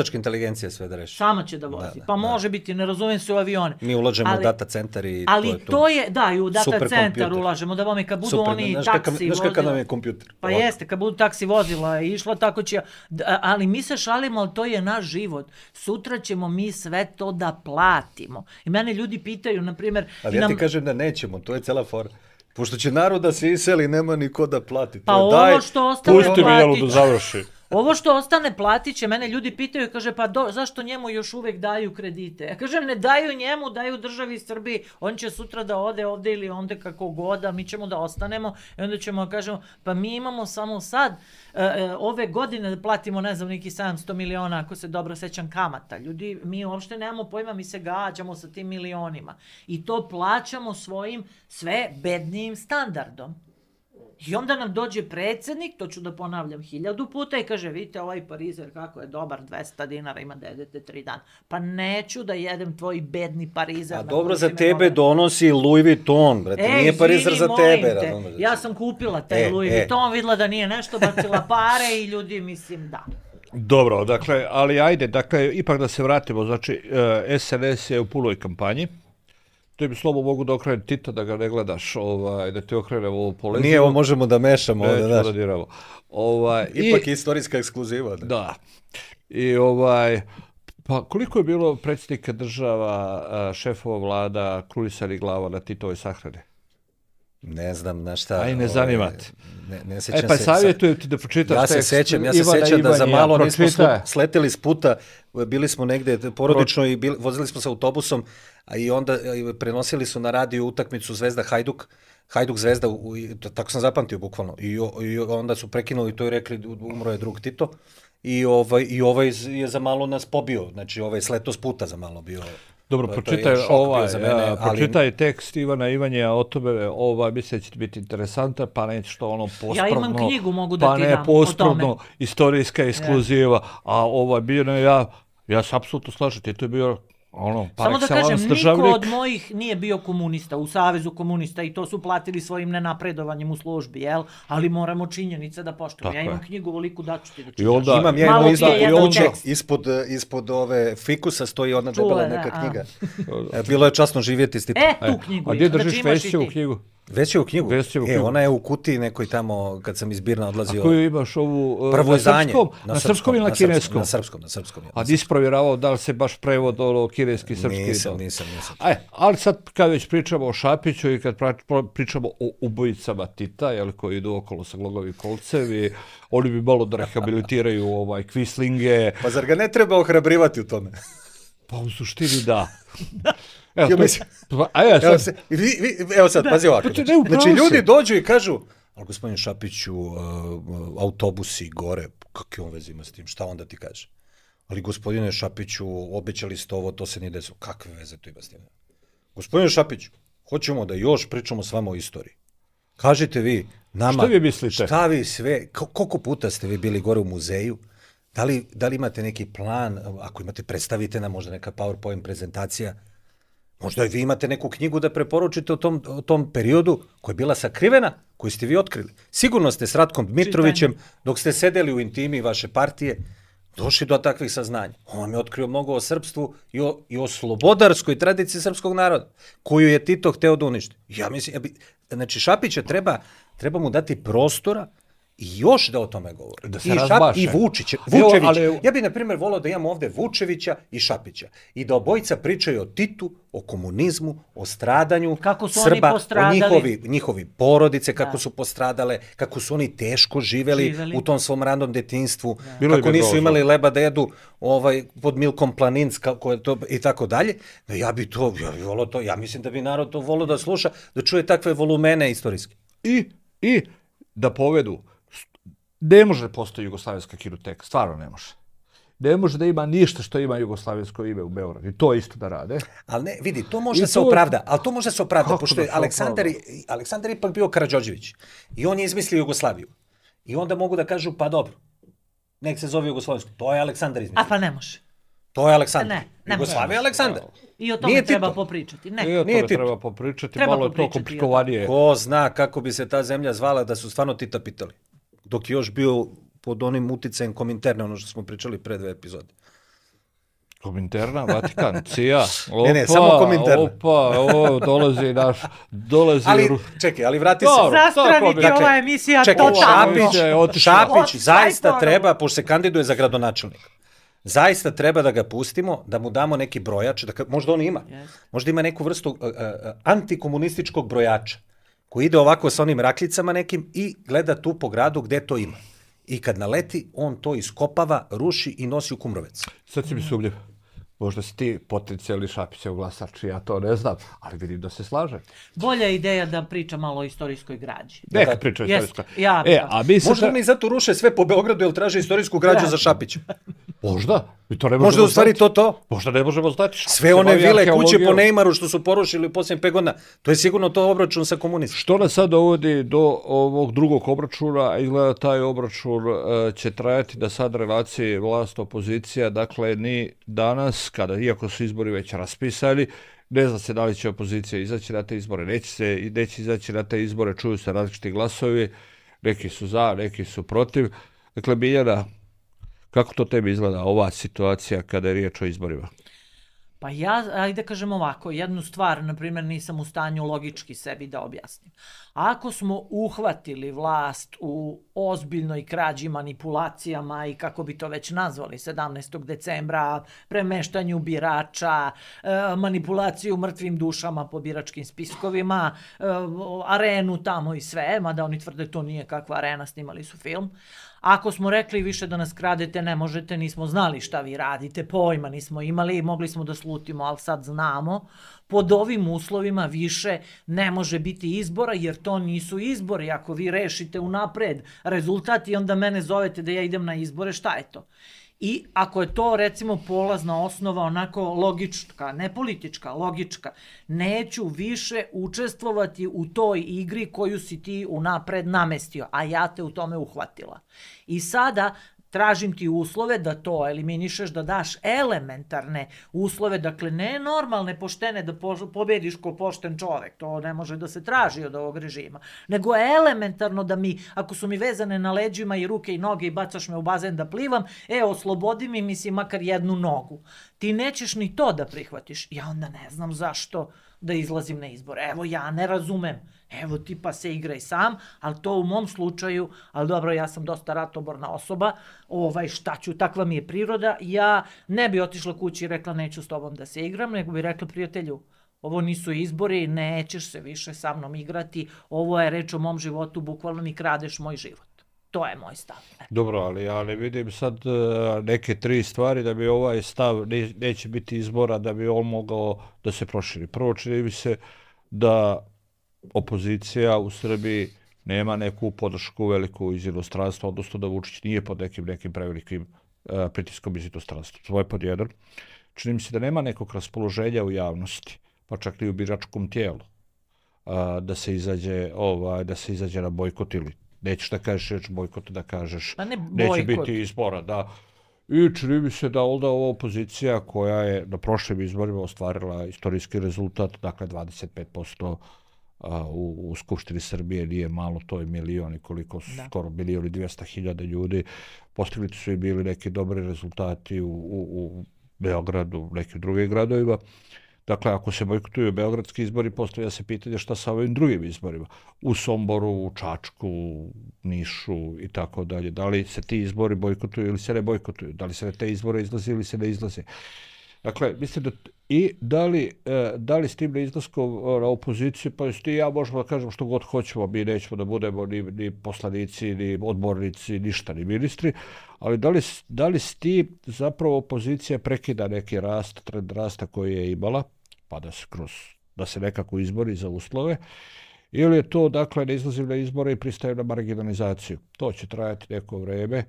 veštačka inteligencija sve da reši. Sama će da vozi. Pa može biti, ne razumijem se u avione. Mi ulažemo u data centar i ali to je to. to je, da, i u data centar ulažemo, da vam kad budu oni taksi vozila. Znaš kakav nam je kompjuter? Pa jeste, kad budu taksi vozila i išla, tako će... Ali mi se šalimo, ali to je naš život. Sutra ćemo mi sve to da platimo. I mene ljudi pitaju, na primjer... Ali ja ti kažem da nećemo, to je cela fora. Pošto će narod da se iseli, nema niko da plati. Pa ovo što ostane pusti mi Jelu da završi. Ovo što ostane platit će, mene ljudi pitaju, kaže, pa zašto njemu još uvek daju kredite? Ja kažem, ne daju njemu, daju državi Srbiji, on će sutra da ode ovde ili onde kako god, a mi ćemo da ostanemo i onda ćemo da kažemo, pa mi imamo samo sad, ove godine da platimo, ne znam, neki 700 miliona, ako se dobro sećam, kamata. Ljudi, mi uopšte nemamo pojma, mi se gađamo sa tim milionima. I to plaćamo svojim sve bednijim standardom. I onda nam dođe predsjednik, to ću da ponavljam 1000 puta i kaže, vidite ovaj parizer kako je dobar, 200 dinara ima da jedete 3 dana. Pa neću da jedem tvoj bedni parizer. A dobro, za tebe donosi Louis Vuitton, brate, nije parizer za tebe. Ja sam kupila taj Louis Vuitton, videla da nije nešto, bacila pare i ljudi, mislim, da. Dobro, dakle, ali ajde, dakle, ipak da se vratimo, znači, SNS je u punoj kampanji. To bi slobo mogu da okrene Tita, da ga ne gledaš, da ti okrene ovo polezivo. Nije, ovo možemo da mešamo. Ipak istorijska ekskluziva. Da. I pa koliko je bilo predsjednika država, šefova vlada, krunisani glava na Titovoj sahrani? Ne znam na šta. Aj, ne zanimate. Ne sećam se. Pa savjetujem ti da pročitaš tekst. Ja se sećam da za malo nismo sleteli s puta, bili smo negde porodično i vozili smo se autobusom, a i onda prenosili su na radio utakmicu Zvezda Hajduk, Hajduk Zvezda, tako sam zapamtio bukvalno, i onda su prekinuli to i rekli umro je drug Tito, i ovaj je za malo nas pobio, znači ovaj sleto s puta za malo bio. Dobro, pročitaj tekst Ivana Ivanja o tome, mislim da će biti interesantan, pa neće što ono posprdno, ja imam knjigu, mogu da pa ti dam ne posprdno, istorijska ekskluziva, a bio ja se apsolutno slažem, to je bio samo da kažem, niko od mojih nije bio komunista, u Savezu komunista, i to su platili svojim nenapredovanjem u službi, jel? Ali moramo činjenice da poštujemo. Ja imam knjigu veliku, daću ti da čitaš. Imam ja ispod ove fikusa stoji ona debela neka knjiga. Bilo je časno živjeti s Titom. Tu knjigu. A gdje držiš Vesićevu knjigu? Vesićevu knjigu? Ona je u kutiji nekoj tamo kad sam iz Birna odlazio. A koju imaš ovu na srpskom ili na kineskom? Na srpskom. A nisi provjeravao da li se baš prevod kineski, srpski? Nisam. Ali sad kad već pričamo o Šapiću i kad pričamo o ubojicama Tita, koji idu okolo sa glogovim kolcevi, oni bi malo da rehabilitiraju kvislinge. Pa zar ga ne treba ohrabrivati u tome? Pa u suštini da. Evo sad, pazi ovako. Znači, ljudi dođu i kažu, ali gospodin Šapiću, autobusi gore, kakve on veze ima s tim, šta onda ti kaže? Ali gospodine Šapiću, obećali ste ovo, to se nije desilo. Kakve veze to ima s tim? Gospodine Šapiću, hoćemo da još pričamo s vama o istoriji. Kažite vi nama, šta vi mislite? Šta vi sve, koliko puta ste vi bili gore u muzeju? Da li imate neki plan, ako imate, predstavite nam možda neka PowerPoint prezentacija, možda i vi imate neku knjigu da preporučite o tom periodu koja je bila sakrivena, koju ste vi otkrili. Sigurno ste s Ratkom Dmitrovićem, dok ste sedeli u intimi vaše partije, došli do takvih saznanja. On vam je otkrio mnogo o srpstvu i o slobodarskoj tradiciji srpskog naroda, koju je Tito hteo da uništi. Ja mislim, znači Šapića treba mu dati prostora i još da o tome govori. Da se razbaše. I Vučević. Ja bih, na primjer, volao da imamo ovde Vučevića i Šapića. I da obojica pričaju o Titu, o komunizmu, o stradanju Srba, o njihovi porodice, kako su postradale, kako su oni teško živeli u tom svom ranom detinjstvu, kako nisu imali leba da jedu pod Milkom Planinc i tako dalje. Ja bih volao to, ja mislim da bi narod to volao da sluša, da čuje takve volumene istorijske. I da povedu. Ne može da postoji jugoslavijska kinoteka, stvarno ne može. Ne može da ima ništa što ima jugoslavijsko ime u Beogradu. I to isto da rade. Ali ne, vidi, to može se opravda, pošto je Aleksandar ipak bio Karađorđević. I on je izmislio Jugoslaviju. I onda mogu da kažu, pa dobro, nek se zove Jugoslavijsko. To je Aleksandar izmislio. A pa ne može. To je Aleksandar. Jugoslavija je Aleksandar. I o tome treba popričati. I o tome treba popričati, malo je to komplikovanije. Ko zna kako bi se ta zemlja zvala da su stvarno Tita pitali. Dok je još bio pod onim uticajem Kominterne, ono što smo pričali pre 2 epizode. Kominterna, Vatikan, CIA. Ne, samo Kominterna. Dolazi... Ali, čekaj, ali vrati se. Zastraniti ova emisija totalno. Šapić zaista treba, pošto se kandiduje za gradonačelnika, zaista treba da ga pustimo, da mu damo neki brojač, možda on ima, možda ima neku vrstu antikomunističkog brojača, koji ide ovako sa onim rakljicama nekim i gleda tu po gradu gde to ima. I kad naleti, on to iskopava, ruši i nosi u Kumrovec. Sad si mi sumnjiv. Možda si ti potencijalni Šapićev glasač, ja to ne znam, ali vidim da se slaže. Bolja ideja da priča malo o istorijskoj građi. Neka priča o istorijskoj. Možda oni zato ruše sve po Beogradu, jer traže istorijsku građu za Šapića. Možda. Možda u stvari to. Možda ne možemo znati. Sve one vile kuće po Neymaru što su porušili u posljednjih 5 godina, to je sigurno to obračun sa komunistom. Što nas sad dovodi do ovog drugog obračuna, izgleda taj obračun će trajati da sad relacije vlast-opozicija, dakle ni danas, kada iako su izbori već raspisani, ne zna se da li će opozicija izaći na te izbore, neće izaći na te izbore, čuju se različiti glasovi, neki su za, neki su protiv. Dakle, Biljana, kako to tebi izgleda ova situacija kada je riječ o izborima? Pa ja, ajde kažem ovako, jednu stvar, na primjer, nisam u stanju logički sebi da objasnim. Ako smo uhvatili vlast u ozbiljnoj krađi, manipulacijama i kako bi to već nazvali 17. decembra, premeštanju birača, manipulaciju mrtvim dušama po biračkim spiskovima, arenu tamo i sve, mada oni tvrde to nije kakva arena, snimali su film. Ako smo rekli više da nas kradete, ne možete, nismo znali šta vi radite, pojma nismo imali, mogli smo da slutimo, ali sad znamo. Pod ovim uslovima više ne može biti izbora, jer to nisu izbori. Ako vi rešite unapred rezultat i onda mene zovete da ja idem na izbore, šta je to? I ako je to, recimo, polazna osnova onako logička, ne politička, logička, neću više učestvovati u toj igri koju si ti unapred namestio, a ja te u tome uhvatila. I sada tražim ti uslove da to eliminišeš, da daš elementarne uslove, dakle ne normalne, poštene, da pobediš ko pošten čovek, to ne može da se traži od ovog režima, nego elementarno da mi, ako su mi vezane na leđima i ruke i noge i bacaš me u bazen da plivam, oslobodi mi, mislim, makar jednu nogu. Ti nećeš ni to da prihvatiš, ja onda ne znam zašto da izlazim na izbore. Evo, ja ne razumem. Evo, ti pa se igraj sam, ali to u mom slučaju, ali dobro, ja sam dosta ratoborna osoba, šta ću, takva mi je priroda, ja ne bi otišla kući i rekla neću s tobom da se igram, nego bi rekla prijatelju, ovo nisu izbori, nećeš se više sa mnom igrati, ovo je reč o mom životu, bukvalno mi kradeš moj život. To je moj stav. Dobro, ali ja ne vidim sad neke 3 stvari da bi ovaj stav, neće biti izbora, da bi on mogao da se proširi. Prvo, čini mi se da opozicija u Srbiji nema neku podršku veliku iz inostranstva, odnosno da Vučić nije pod nekim prevelikim pritiskom iz inostranstva. To je pod jedan. Čini mi se da nema nekog raspoloženja u javnosti, pa čak i u biračkom tijelu, da se izađe na bojkot ili nećeš da kažeš reč bojkot, da kažeš neće biti izbora. Da. I čini mi se da onda ova opozicija koja je na prošlim izborima ostvarila istorijski rezultat, dakle 25% u Skupštini Srbije, nije malo, to je milion i koliko su, skoro 1.200.000 ljudi. Postignuti su i bili neki dobri rezultati u Beogradu, u nekim drugim gradovima. Dakle, ako se bojkotuju beogradski izbori, postavlja se pitanje šta sa ovim drugim izborima. U Somboru, u Čačku, u Nišu i tako dalje. Da li se ti izbori bojkotuju ili se ne bojkotuju? Da li se na te izbore izlazi ili se ne izlazi? Dakle, mislim da i da li s tim neizlaskom na opoziciju, pa ti ja možemo da kažemo što god hoćemo, mi nećemo da budemo ni poslanici, ni odbornici, ništa, ni ministri, ali da li s tim zapravo opozicija prekida neki rast, trend rasta koji je imala, pa da se nekako izbori za uslove, ili je to, dakle, ne izlazim na izbore i pristajem na marginalizaciju. To će trajati neko vreme.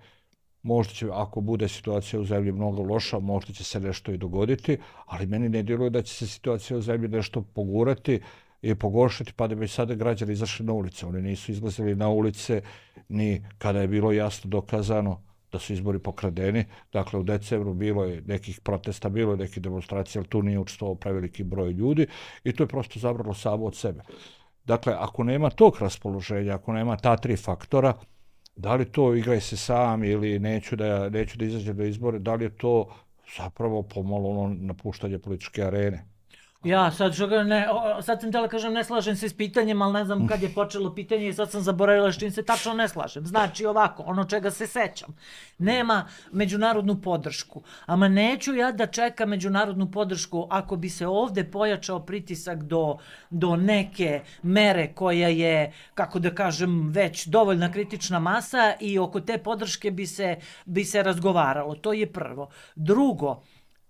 Možda će, ako bude situacija u zemlji mnogo loša, možda će se nešto i dogoditi, ali meni ne djeluje da će se situacija u zemlji nešto pogurati i pogoršati, pa da bi sada građani izašli na ulice. Oni nisu izlazili na ulice ni kada je bilo jasno dokazano da su izbori pokradeni. Dakle, u decembru bilo je nekih protesta, bilo je nekih demonstracija, ali tu nije učestvovao preveliki broj ljudi i to je prosto zabralo samo od sebe. Dakle, ako nema tog raspoloženja, ako nema ta 3 faktora, da li to igraj se sam ili neću da izađem do izbore, da li je to zapravo pomalo ono napuštanje političke arene. Ja sad sad sam htjela kažem ne slažem se s pitanjem, ali ne znam kad je počelo pitanje i sad sam zaboravila s čim se tačno ne slažem. Znači ovako, ono čega se sećam, nema međunarodnu podršku, ama neću ja da čekam međunarodnu podršku ako bi se ovde pojačao pritisak do neke mere koja je, kako da kažem, već dovoljna kritična masa i oko te podrške bi se razgovaralo. To je prvo. Drugo,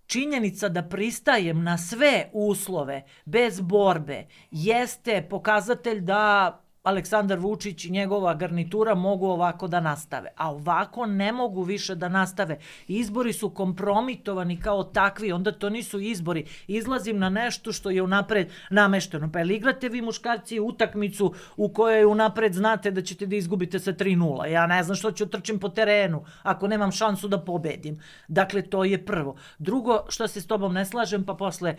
činjenica da pristajem na sve uslove bez borbe jeste pokazatelj da Aleksandar Vučić i njegova garnitura mogu ovako da nastave. A ovako ne mogu više da nastave. Izbori su kompromitovani kao takvi, onda to nisu izbori. Izlazim na nešto što je unapred namešteno. Pa ili igrate vi muškarci utakmicu u kojoj unapred znate da ćete da izgubite sa 3:0. Ja ne znam što ću trčim po terenu ako nemam šansu da pobedim. Dakle, to je prvo. Drugo, što se s tobom ne slažem, pa posle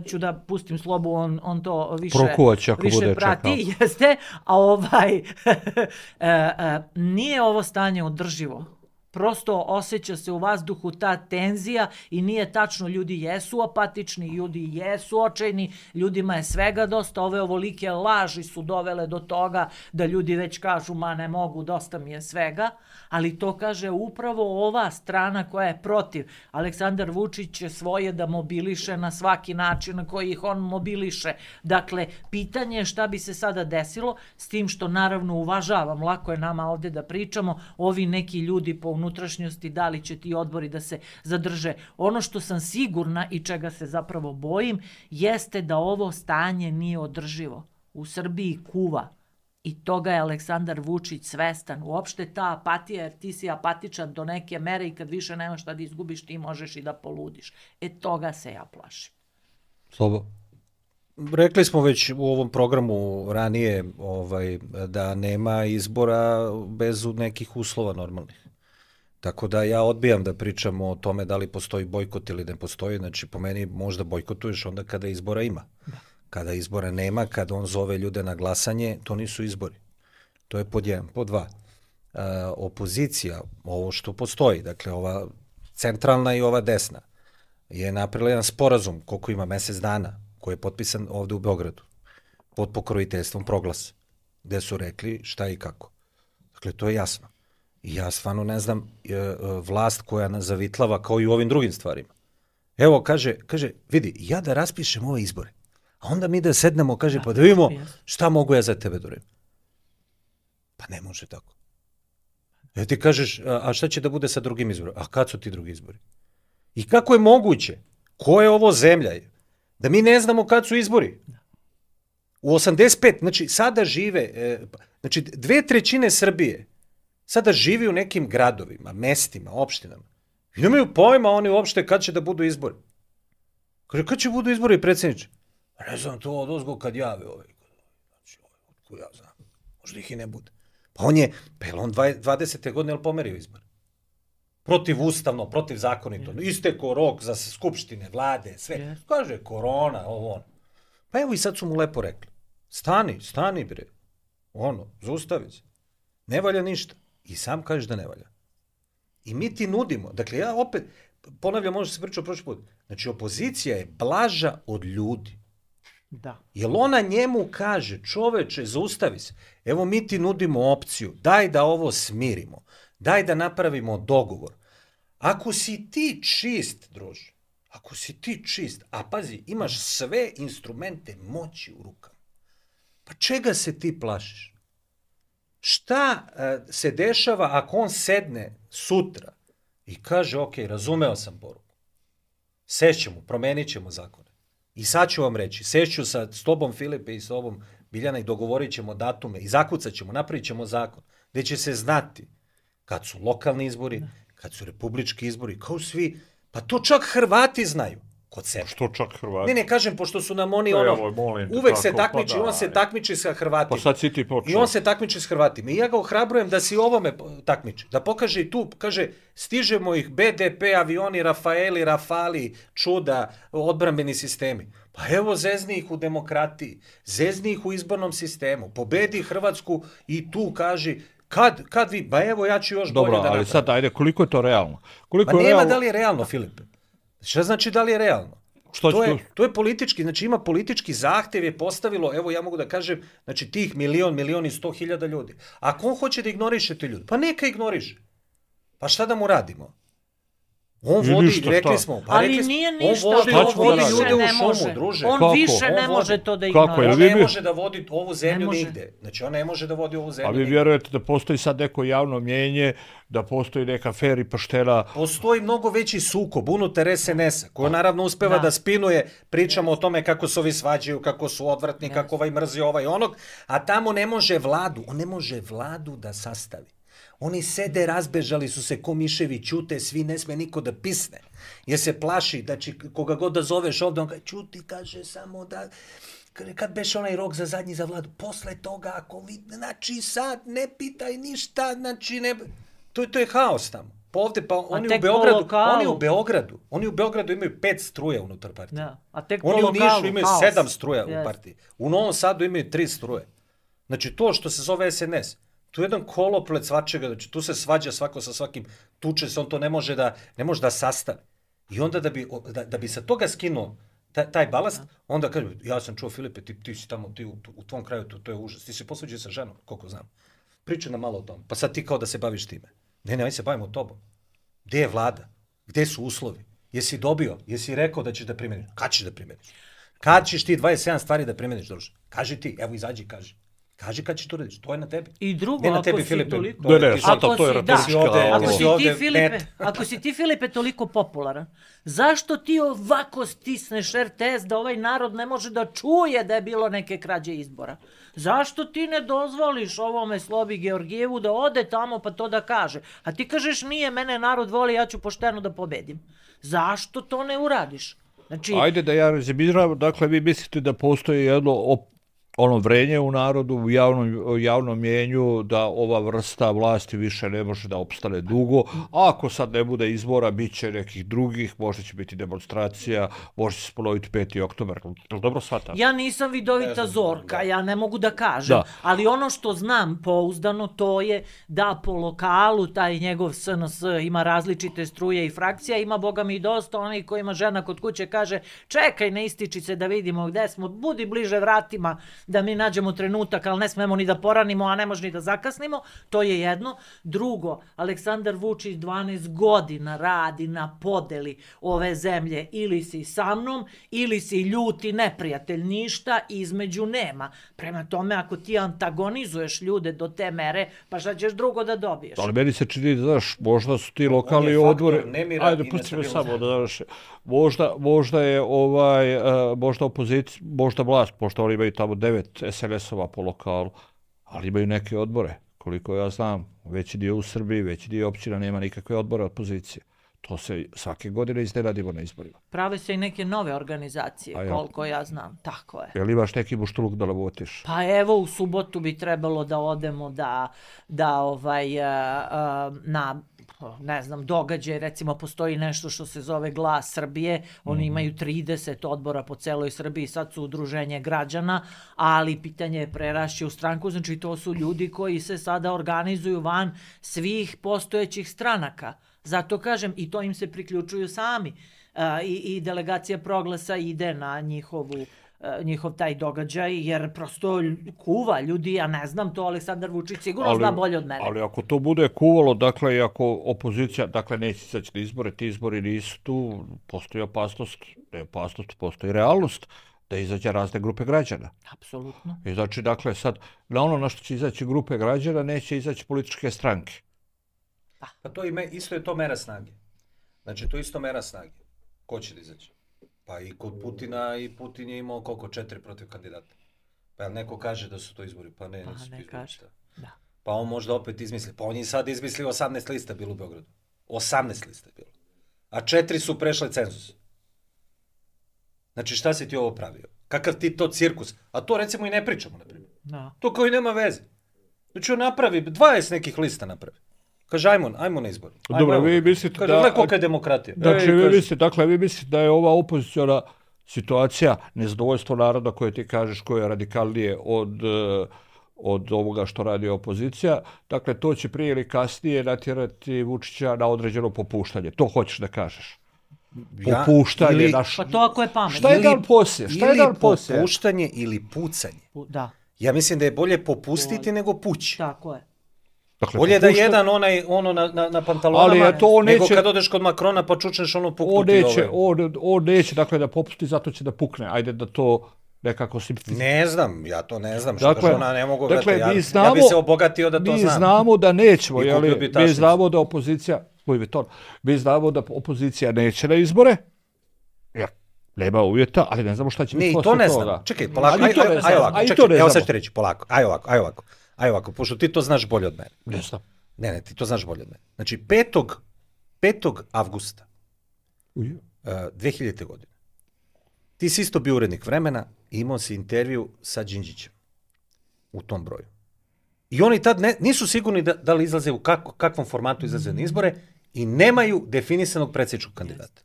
ću da pustim Slobu, on to više prati, jeste. A nije ovo stanje održivo. Prosto osjeća se u vazduhu ta tenzija i nije tačno, ljudi jesu apatični, ljudi jesu očajni, ljudima je svega dosta, ove ovolike laži su dovele do toga da ljudi već kažu ma ne mogu, dosta mi je svega, ali to kaže upravo ova strana koja je protiv. Aleksandar Vučić će svoje da mobiliše na svaki način na koji ih on mobiliše. Dakle, pitanje je šta bi se sada desilo, s tim što naravno uvažavam, lako je nama ovde da pričamo, ovi neki ljudi po unutrašnjosti, da li će ti odbori da se zadrže. Ono što sam sigurna i čega se zapravo bojim, jeste da ovo stanje nije održivo. U Srbiji kuva. I toga je Aleksandar Vučić svestan. Uopšte ta apatija, jer ti si apatičan do neke mere i kad više nemaš šta da izgubiš, ti možeš i da poludiš. Toga se ja plašim. Slobo. Rekli smo već u ovom programu ranije da nema izbora bez nekih uslova normalnih. Tako da ja odbijam da pričamo o tome da li postoji bojkot ili ne postoji. Znači, po meni možda bojkotuješ onda kada izbora ima. Kada izbora nema, kada on zove ljude na glasanje, to nisu izbori. To je pod 1. Pod 2. Opozicija, ovo što postoji, dakle ova centralna i ova desna, je napravila jedan sporazum, koliko ima, mesec dana, koji je potpisan ovde u Beogradu, pod pokrojiteljstvom Proglasa, gde su rekli šta i kako. Dakle, to je jasno. I ja stvarno ne znam vlast koja nas zavitlava kao i u ovim drugim stvarima. Evo, kaže, vidi, ja da raspišem ove izbore, a onda mi da sednemo, kaže, pa da vidimo šta mogu ja za tebe da uradim. Pa ne može tako. Ja ti kažeš, a šta će da bude sa drugim izborima? A kad su ti drugi izbori? I kako je moguće? Ko je ovo zemlja? Da mi ne znamo kad su izbori. U 85, znači sada žive, znači 2/3 Srbije sada živi u nekim gradovima, mestima, opštinama. I nemaju pojma oni uopšte kad će da budu izbori. Kaže, kad će budu izbori, predsjedniče? Ne znam, to odozgo kad jave ovaj. Znači, otko ja znam. Možda ih i ne bude. Pa on je 20. godine pomerio izbor. Protivustavno, protivzakonito. Isteko rok za skupštine, vlade, sve. Kaže, korona, ovo ono. Pa evo i sad su mu lepo rekli. Stani bre. Zaustavi se. Ne valja ništa. I sam kažeš da ne valja. I mi ti nudimo. Dakle, ja opet, ponavljam, možda se pričao prošli put. Znači, opozicija je blaža od ljudi. Da. Jer ona njemu kaže, čoveče, zaustavi se. Evo mi ti nudimo opciju. Daj da ovo smirimo. Daj da napravimo dogovor. Ako si ti čist, druže, ako si ti čist, a pazi, imaš sve instrumente moći u rukama, pa čega se ti plašiš? Šta se dešava ako on sedne sutra i kaže, ok, razumeo sam poruku, sešćemo, promenit ćemo zakone. I sad ću vam reći, sešću s tobom Filipe i s tobom Biljana i dogovorit ćemo datume i zakucat ćemo, napravit ćemo zakon, gde će se znati kad su lokalni izbori, kad su republički izbori, kao svi, pa to čak Hrvati znaju kod sebe. Što čak Hrvati? Ne, kažem, pošto su nam oni uvek se takmiči, on se takmiči sa Hrvatima. Pa sad si ti počeo. I on se takmiči s Hrvatima. I ja ga ohrabrujem da si ovome takmiči. Da pokaže i tu, kaže, stižemo ih BDP, avioni, Rafaeli, Rafali, čuda, odbrambeni sistemi. Pa evo, zezni ih u demokratiji, zezni ih u izbornom sistemu, pobedi Hrvatsku i tu kaži, kad vi, ba evo ja ću još bolje da napravim. Dobro, ali sad ajde, koliko je to realno? Pa nema da li je realno, Filipe. Šta znači da li je realno? To je politički, znači ima politički zahtev je postavilo, evo ja mogu da kažem, znači tih 1.100.000 ljudi. Ako on hoće da ignoriše te ljudi, pa neka ignoriše. Pa šta da mu radimo? On vodi, rekli smo, ali nije ništa, on vodi ljude u šumu, druže. On više ne može to da ignorira. On ne može da vodi ovu zemlju nigde. Znači on ne može da vodi ovu zemlju nigde. A vi vjerujete da postoji sad neko javno mjenje, da postoji neka fer i poštena... Postoji mnogo veći sukob unutar SNS-a, koji naravno uspeva da spinuje, pričamo o tome kako se ovi svađaju, kako su odvratni, kako ovaj mrzi ovaj onog, a tamo ne može vladu, on ne može vladu da sastavi. Oni sede, razbežali su se ko miševi, ćute, svi, ne sme niko da pisne. Jer se plaši, znači koga god da zoveš ovdje, on kaže, ćuti, kaže samo da, kad beše onaj rok za zadnji za vladu, posle toga, ako vidi, znači sad ne pitaj ništa, znači ne... To je haos tamo. Pa ovde, pa oni u Beogradu imaju 5 struja unutar partije. Da. A tek oni u Nišu imaju 7 struja u partiji. U Novom Sadu imaju 3 struje. Znači to što se zove SNS, tu je jedan koloplet svačega, znači tu se svađa svako sa svakim, tuče se, on to ne može da sastavi. I onda da bi sa toga skinuo taj balast, onda kaže, ja sam čuo Filipe, ti si tamo, ti u tvom kraju, to je užas, ti si posvađao sa ženom, koliko znam. Pričaj nam malo o tom, pa sad ti kao da se baviš time. Ne, aj se bavimo tobom. Gde je vlada? Gde su uslovi? Jesi dobio? Jesi rekao da ćeš da primjeniš? Kad ćeš da primjeniš? Kad ćeš ti 27 stvari da primjeniš, druže? Kaži ti, evo izađi i kaži. Kaži kad ćeš to radiš, to je na tebi. I drugo, ne na tebi, Filipe. Ako si ti, Filipe, toliko popularan, zašto ti ovako stisneš RTS da ovaj narod ne može da čuje da je bilo neke krađe izbora? Zašto ti ne dozvoliš ovome Slobi Georgijevu da ode tamo pa to da kaže? A ti kažeš, nije, mene narod voli, ja ću pošteno da pobedim. Zašto to ne uradiš? Znači... Ajde da ja rezimiram, dakle vi mislite da postoji jedno vrenje u narodu, u javnom mjenju, da ova vrsta vlasti više ne može da opstane dugo. A ako sad ne bude izbora, bit će nekih drugih, možda će biti demonstracija, možda će se ponoviti 5. oktobar. Dobro shvatam? Ja nisam vidovita Zorka, ja ne mogu da kažem, ali ono što znam pouzdano to je da po lokalu taj njegov SNS ima različite struje i frakcija, ima boga mi dosta onih kojima žena kod kuće kaže, čekaj, ne ističi se da vidimo gde smo, budi bliže vratima, da mi nađemo trenutak, ali ne smemo ni da poranimo, a ne može ni da zakasnimo, to je jedno. Drugo, Aleksandar Vučić 12 godina radi na podeli ove zemlje, ili si sa mnom, ili si ljuti neprijatelj, ništa između nema. Prema tome, ako ti antagonizuješ ljude do te mere, pa šta ćeš drugo da dobiješ? Ali meni se čini, znaš, možda su ti lokalni odbori... Ajde, pusti me samo da završi. Možda je možda opozicija, možda vlast, pošto oni imaju tamo 9 SNS-ova po lokalu, ali imaju neke odbore, koliko ja znam, veći dio u Srbiji, veći dio općina nema nikakve odbore opozicije. To se svake godine iznenadimo na izborima. Prave se i neke nove organizacije, koliko ja znam, tako je. Jel imaš neki muštruk da navotiš? Pa evo, u subotu bi trebalo da odemo na ne znam, događaj, recimo postoji nešto što se zove Glas Srbije, oni imaju 30 odbora po celoj Srbiji, sad su udruženje građana, ali pitanje je prerašće u stranku, znači to su ljudi koji se sada organizuju van svih postojećih stranaka. Zato kažem, i to im se priključuju sami i delegacija Proglasa ide na njihov taj događaj, jer prosto kuva ljudi, ja ne znam to, Aleksandar Vučić sigurno zna bolje od mene. Ali ako to bude kuvalo, dakle, i ako opozicija, dakle, neće izaći na izbore, ti izbori nisu tu, postoji opasnost, ne opasnost, postoji realnost da izađe razne grupe građana. Apsolutno. I znači, dakle, sad, na ono na što će izaći grupe građana, neće izaći političke stranke. Pa to isto je to mera snage. Znači, to je isto mera snage. Ko će da izaći? Pa i kod Putina, i Putin je imao koliko 4 protiv kandidata. Pa neko kaže da su to izbori, pa ne, nisu to izbori. Da. Pa on možda opet izmisli. Pa on je sad izmislio 18 lista bilo u Beogradu. 18 lista bilo. A 4 su prešle cenzus. Znači šta si ti ovo pravio? Kakav ti to cirkus? A to recimo i ne pričamo, na primjer. Da. To koji nema veze. Znači on napravi, 20 nekih lista napravi. Kaže, ajmo na izbor. Dobro, vi mislite kaže, da... Kolika je demokratija. Znači, vi mislite da je ova opoziciona situacija, nezadovoljstvo naroda koje ti kažeš, koje je radikalnije od ovoga što radi opozicija, dakle, to će prije ili kasnije natjerati Vučića na određeno popuštanje. To hoćeš da kažeš? popuštanje. Pa to ako je pametno. Šta je dan poslije? Ili popuštanje ili pucanje. Da. Ja mislim da je bolje popustiti nego pući. Tako je. Dakle, Bolje da jedan ono na pantalonama, nego kad odeš kod Makrona pa čučneš ono puknuti on neće, dakle, da popusti, zato će da pukne. Ajde da to nekako simplificira. Ne znam, ja to ne znam. Što dakle, ona ne mogu dakle, ja bi se obogatio da to znam. Mi znamo da nećemo, mi znamo da opozicija, mi znamo da opozicija neće na izbore, jer nema uvjeta, ali ne znamo šta će biti posle toga. Ne, i to ne znam. Čekaj, polako, evo sad ću reći, polako, aj ovako, pošto ti to znaš bolje od mene. Ne znam. Ne, ti to znaš bolje od mene. Znači, 5. avgusta 2000. godine, ti si isto bio urednik Vremena i imao si intervju sa Đinđićem u tom broju. I oni tad nisu sigurni da li izlaze u kakvom formatu izlaze na izbore i nemaju definisanog predsjedničkog kandidata.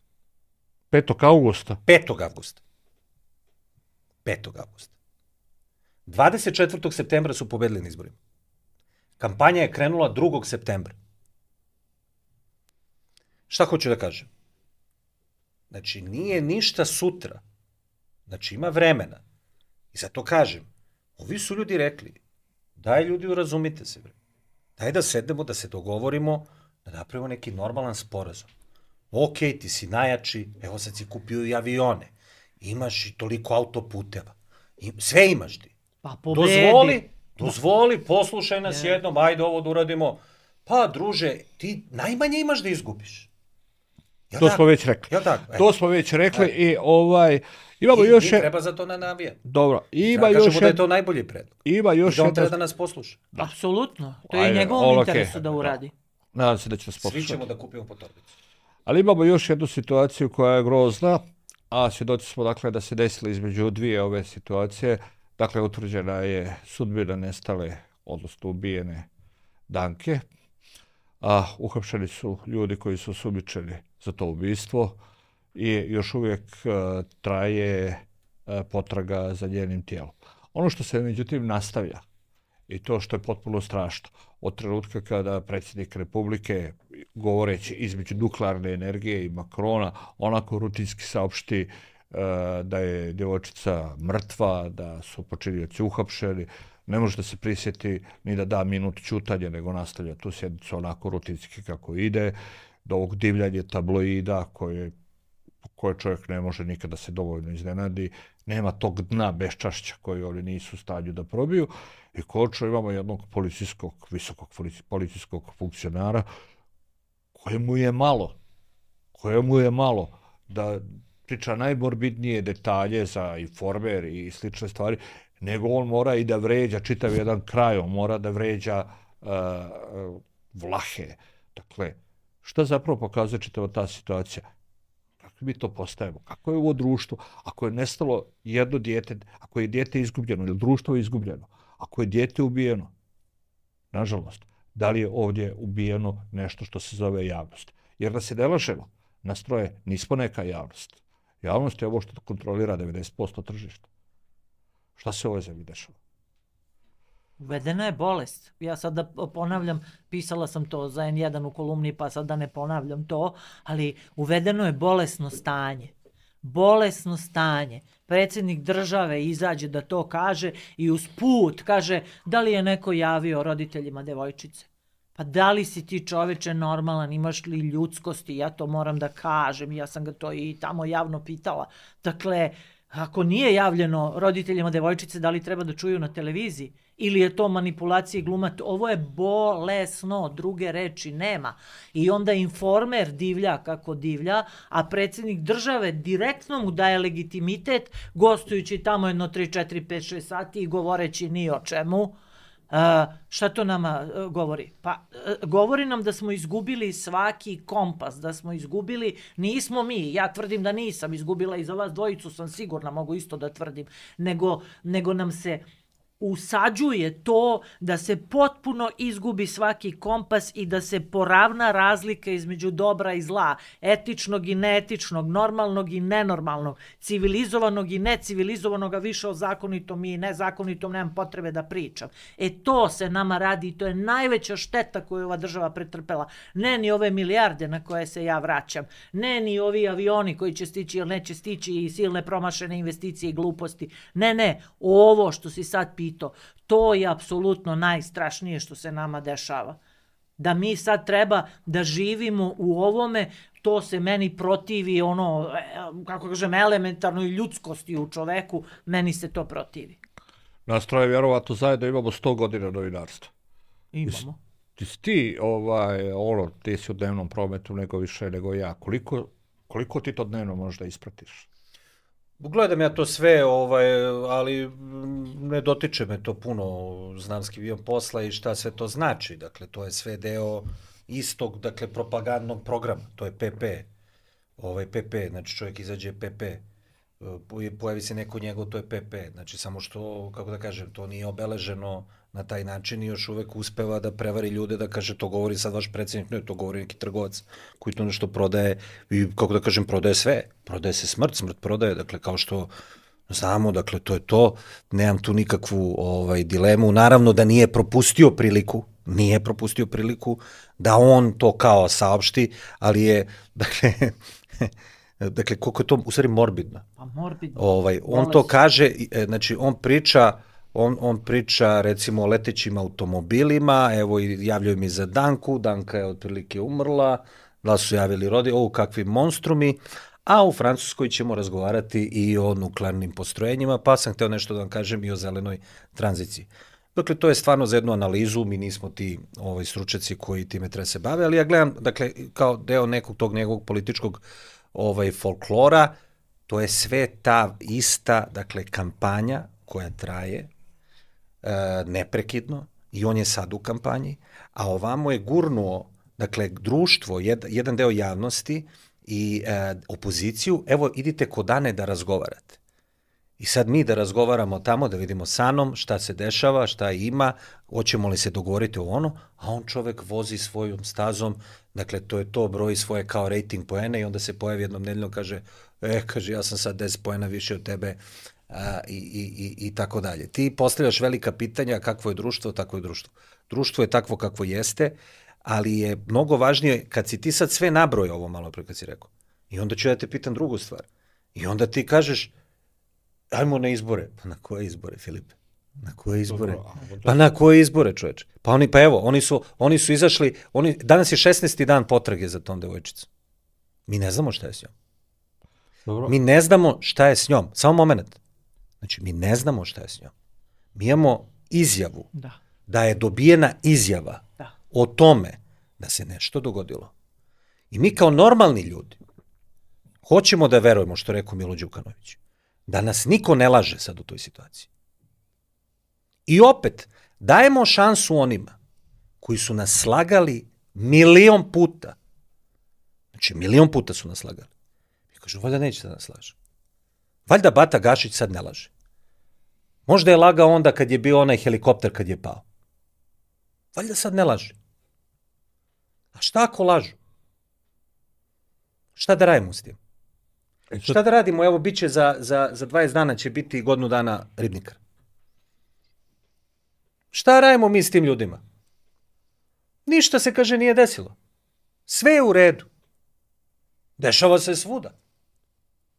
5. avgusta. 5. avgusta. 24. septembra su pobedili na izborima. Kampanja je krenula 2. septembra. Šta hoću da kažem? Znači, nije ništa sutra. Znači, ima vremena. I zato kažem, ovi su ljudi rekli, daj ljudi urazumite se. Daj da sednemo, da se dogovorimo, da napravimo neki normalan sporazum. Ok, ti si najjači, evo sad si kupio i avione, imaš i toliko autoputeva, sve imaš ti. Pa pobedi. Dozvoli, poslušaj nas jednom, ajde ovo da uradimo. Pa, druže, ti najmanje imaš da izgubiš. To smo već rekli. To smo već rekli i imamo još... I treba za to navijati. Dobro. Kažemo da je to najbolji predlog. I da on treba da nas posluša. Apsolutno. To je njegovom interesu da uradi. Nadam se da će nas poslušati. Svi ćemo da kupimo po torbicu. Ali imamo još jednu situaciju koja je grozna, a svjedoci smo dakle da se desilo između dvije ove situacije. Dakle, utvrđena je sudbina nestale, odnosno ubijene Danke, a uhapšeni su ljudi koji su osumnjičeni za to ubistvo i još uvijek traje potraga za njenim tijelom. Ono što se međutim nastavlja i to što je potpuno strašno, od trenutka kada predsjednik Republike, govoreći između nuklearne energije i Makrona, onako rutinski saopšti da je djevojčica mrtva, da su počinioci uhapšeni, ne može da se prisjeti ni da da minut ćutanja, nego nastavlja tu sjednicu onako rutinski kako ide, do ovog divljanja tabloida koje čovjek ne može nikada se dovoljno iznenadi, nema tog dna beščašća koji oni nisu u stanju da probiju i konačno imamo jednog visokog policijskog funkcionara kojemu je malo da priča najmorbidnije detalje za Informer i slične stvari, nego on mora i da vređa čitav jedan kraj, on mora da vređa Vlahe. Dakle, šta zapravo pokazuje čitava ta situacija? Kako mi to postajemo? Kako je ovo društvo? Ako je nestalo jedno dijete, ako je dijete izgubljeno ili društvo je izgubljeno, ako je dijete ubijeno, nažalost, da li je ovdje ubijeno nešto što se zove javnost? Jer da se ne lažemo, nas troje nismo neka javnost. Javnost je ovo što kontrolira 90% tržišta. Šta se u ovoj zemlji dešava? Uvedena je bolest. Ja sad da ponavljam, pisala sam to za N1 u kolumni, pa sad da ne ponavljam to, ali uvedeno je bolesno stanje. Bolesno stanje. Predsjednik države izađe da to kaže i usput kaže da li je neko javio roditeljima devojčice. Pa da li si ti čoveče normalan, imaš li ljudskosti, ja to moram da kažem, ja sam ga to i tamo javno pitala. Dakle, ako nije javljeno roditeljima devojčice, da li treba da čuju na televiziji? Ili je to manipulacija i gluma? Ovo je bolesno, druge reči nema. I onda Informer divlja kako divlja, a predsjednik države direktno mu daje legitimitet, gostujući tamo jedno 3, 4, 5, 6 sati i govoreći ni o čemu. Šta to nama govori? Pa govori nam da smo izgubili svaki kompas, da smo izgubili, nismo mi, ja tvrdim da nisam izgubila i za vas dvojicu sam sigurna, mogu isto da tvrdim, nego nam se usađuje to da se potpuno izgubi svaki kompas i da se poravna razlika između dobra i zla, etičnog i neetičnog, normalnog i nenormalnog, civilizovanog i necivilizovanog, a više o zakonitom i nezakonitom nemam potrebe da pričam. To se nama radi i to je najveća šteta koju ova država pretrpela. Ne ni ove milijarde na koje se ja vraćam, ne ni ovi avioni koji će stići ili neće stići i silne promašene investicije i gluposti. Ne, ovo što si sad pitao, to je apsolutno najstrašnije što se nama dešava. Da mi sad treba da živimo u ovome, to se meni protivi kako kažem, elementarnoj ljudskosti u čoveku, meni se to protivi. Nas troje vjerovatno zajedno imamo 100 godina novinarstva. Imamo. Ti si u dnevnom prometu nego više nego ja. Koliko ti to dnevno možda ispratiš? Gledam ja to sve, ali ne dotiče me to puno, znam skivijem posla i šta sve to znači. Dakle, to je sve deo istog, dakle, propagandnog programa. To je PP. PP, znači čovjek izađe PP. Pojavi se neko njegov, to je PP. Znači, samo što, kako da kažem, to nije obeleženo na taj način i još uvek uspeva da prevari ljude, da kaže to govori sad vaš predsjednik, ne, to govori neki trgovac koji to nešto prodaje i, kako da kažem, prodaje sve. Prodaje se smrt prodaje, dakle, kao što znamo, dakle, to je to. Nemam tu nikakvu dilemu. Naravno da nije propustio priliku da on to kao saopšti, ali je, dakle, koliko je to u stvari morbidno. Pa morbidno. On to kaže, znači, on priča recimo o letećim automobilima, evo i javljaju mi za Danku, Danka je otprilike umrla, da su javili kakvi monstrumi, a u Francuskoj ćemo razgovarati i o nuklearnim postrojenjima, pa sam hteo nešto da vam kažem i o zelenoj tranziciji. Dakle, to je stvarno za jednu analizu, mi nismo ti stručnjaci koji time treba se bave, ali ja gledam, dakle, kao deo nekog tog njegovog političkog folklora, to je sve ta ista, dakle, kampanja koja traje neprekidno i on je sad u kampanji, a ovamo je gurnuo, dakle, društvo, jedan deo javnosti i opoziciju, evo, idite kod Ane da razgovarate. I sad mi da razgovaramo tamo, da vidimo sa Anom šta se dešava, šta ima, hoćemo li se dogovoriti o ono, a on čovek vozi svojom stazom, dakle, to je to, broji svoje kao rating poene i onda se pojavi jednom nedeljno, kaže, ja sam sad 10 poena više od tebe, i tako dalje. Ti postavljaš velika pitanja kakvo je društvo, takvo je društvo. Društvo je takvo kakvo jeste, ali je mnogo važnije kad si ti sad sve nabrojao ovo malo pre kad si rekao. I onda ću ja te pitam drugu stvar. I onda ti kažeš ajmo na izbore. Pa na koje izbore, Filipe? Na koje izbore? Pa na koje izbore, čoveče? Pa evo, oni su izašli, danas je 16. dan potrage za tom devojčicom. Mi ne znamo šta je s njom. Dobro. Mi ne znamo šta je s njom. Samo moment. Znači, mi ne znamo šta je s njom. Mi imamo izjavu da je dobijena izjava o tome da se nešto dogodilo. I mi kao normalni ljudi hoćemo da verujemo, što rekao Milo Đukanović, da nas niko ne laže sad u toj situaciji. I opet, dajemo šansu onima koji su nas slagali 1.000.000 puta. Znači, 1.000.000 puta su nas slagali. I kažu, valjda neće da nas laže. Valjda Bata Gašić sad ne laže. Možda je lagao onda kad je bio onaj helikopter kad je pao. Valjda sad ne laže. A šta ako lažu? Šta da radimo s tim? Šta da radimo? Evo, bit će za 20 dana će biti godinu dana Ribnikar. Šta radimo mi s tim ljudima? Ništa se, kaže, nije desilo. Sve je u redu. Dešava se svuda.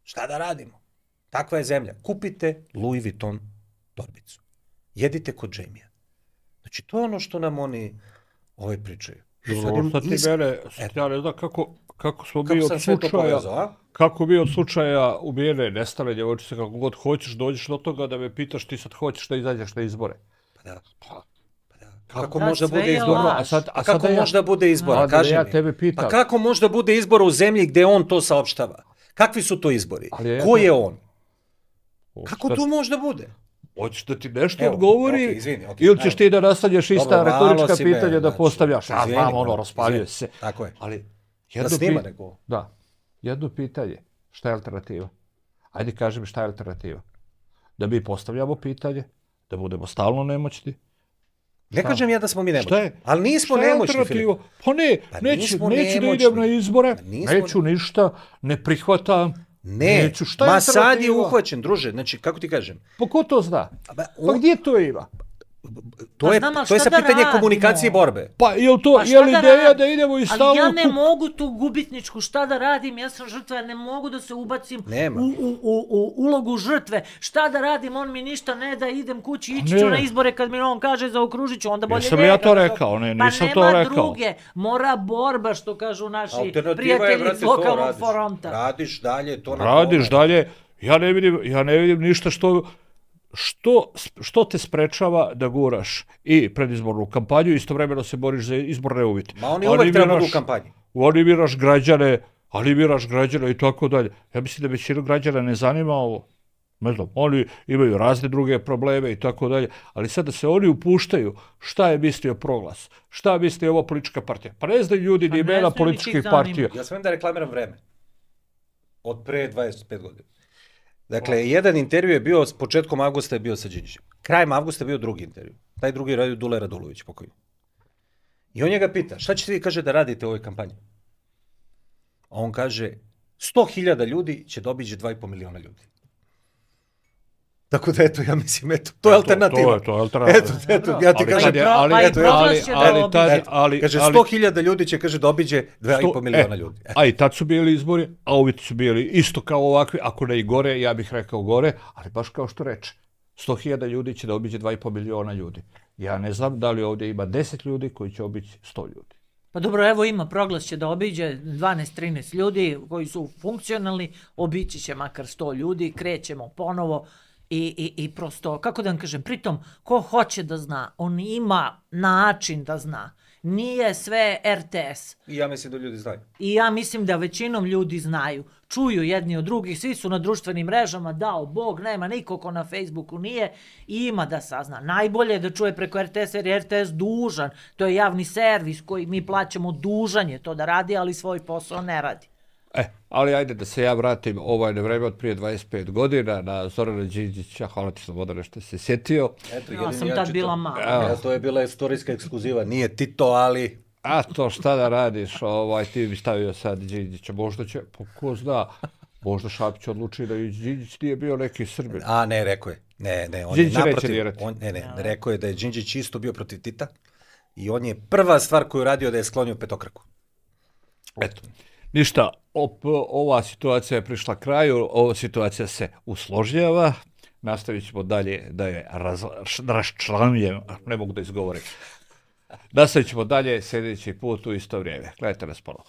Šta da radimo? Takva je zemlja. Kupite Louis Vuitton torbicu. Jedite kod Jamie-a. Znači, to je ono što nam oni pričaju. Sad ti mene, ja ne znam kako smo mi od slučaja, kako mi od slučaja ubijene, nestale djevojčice, kako god hoćeš, dođeš do toga da me pitaš ti sad hoćeš da izađeš na izbore. Pa da. Kako može da bude izbora? A kako može da bude izbora? Kaži mi. Pa kako može da bude izbora u zemlji gde on to saopštava? Kakvi su to izbori? Ko je on? Kako to može da bude? Hoćeš da ti nešto odgovori ili ćeš ti da nastavljaš ista retorička pitanja da postavljaš? Ja znam, raspaljuje se. Tako je. Ali da snima neko. Da. Jedno pitanje. Šta je alternativa? Ajde kaži mi šta je alternativa. Da mi postavljamo pitanje, Da budemo stalno nemoćni? Ne kažem ja da smo mi nemoćni. Šta je? Ali nismo Šta je nemoćni, alternativa? Filip. Pa ne, Pa neću nismo da nemoćni. idem na izbore, Nismo- neću ništa, ne prihvatam. Ne, Neću, šta je ma sad je alternativa? uhvaćen, druže, znači, kako ti kažem? Pa ko to zna? Ba, Pa gdje to ima? To je, znam, ali to je šta sa da pitanje radimo? komunikacije i borbe. Pa je li to, Pa šta je li da ideja radim? da idemo i Ali stalno... ja ne mogu tu gubitničku, šta da radim, ja sam žrtva, ja ne mogu da se ubacim Nema. u ulogu žrtve. Šta da radim, on mi ništa ne da, idem kući, ići Ne. ću na izbore kad mi on kaže zaokružit ću, onda bolje Jesam njega ja to da- rekao? Ne, nisam pa to nema rekao. druge, mora borba, što kažu naši Alternativa je, prijatelji brate, iz to lokalnog radiš. fronta. Radiš dalje, to na Radiš tome. dalje, ja ne vidim ništa što te sprečava da guraš i predizbornu kampanju i istovremeno se boriš za izborne uvjete. Ma oni uvek treba budu u kampanji. Animiraš građane i tako dalje. Ja mislim da većinu građana ne zanima ovo. Ne znam, oni imaju razne druge probleme i tako dalje, ali sad da se oni upuštaju šta je mislio Proglas, šta misli ova politička partija. Pa ne znaju ljudi Pa ni ne imena znaju, niti političkih ih zanima. partija. Ja smijem da reklamiram vreme. Od pre 25 godina. Dakle, jedan intervju je bio, s početkom avgusta je bio sa Đinđićem. Krajem avgusta je bio drugi intervju. Taj drugi je radio Dule Radulović, pokojni. I on njega pita, šta ćete vi, kaže, da radite u ovoj kampanji? A on kaže, 100.000 ljudi će dobići 2,5 miliona ljudi. Tako da, eto, ja mislim, eto, to je alternativa. To je alternativa. Eto, ja ti Ali kažem, tad je- Pa i Proglas će da obiđe. kaže, 100.000 ljudi će, kaže, dobiđe 2,5 miliona ljudi. A i tad su bili izbori, a uvjeti su bili isto kao ovakvi, ako ne i gore, ja bih rekao gore, ali baš kao što reče, 100.000 ljudi će da obiđe 2,5 miliona ljudi. Ja ne znam da li ovdje ima 10 ljudi koji će obići 100 ljudi. Pa dobro, evo ima, Proglas će da obiđe 12-13 ljudi koji su funkcionalni, obići će makar 100 ljudi, krećemo ponovo i prosto, kako da vam kažem, pritom, ko hoće da zna, on ima način da zna. Nije sve RTS. I ja mislim da ljudi znaju. I ja mislim da većinom ljudi znaju. Čuju jedni od drugih, svi su na društvenim mrežama, dao Bog, nema niko ko na Facebooku nije i ima da sazna. Najbolje je da čuje preko RTS jer je RTS dužan. To je javni servis koji mi plaćamo, dužan je to da radi, ali svoj posao ne radi. Ali ajde da se ja vratim na vreme od prije 25 godina na Zorana Đinđića, hvala ti Slobodane što se sjetio. Eto, Ja sam tad bila mala. Ja, to je bila istorijska ekskluziva, nije Tito, ali... A to šta da radiš, ti bi stavio sad Đinđića, možda će, pa ko zna, možda Šapić odluči da i Đinđić nije bio neki Srbin. A, ne, rekao je. Ne, on Đinđić je neće naprotiv. dirati. Rekao je da je Đinđić isto bio protiv Tita i on je prva stvar koju radio da je sklonio petokraku. Eto, ništa, ova situacija je prišla kraju, ova situacija se usložnjava, nastavit ćemo dalje da je raščlanjujem, ne mogu da izgovorim. Nastavit ćemo dalje sljedeći put u isto vrijeme. Gledajte nas ponovo.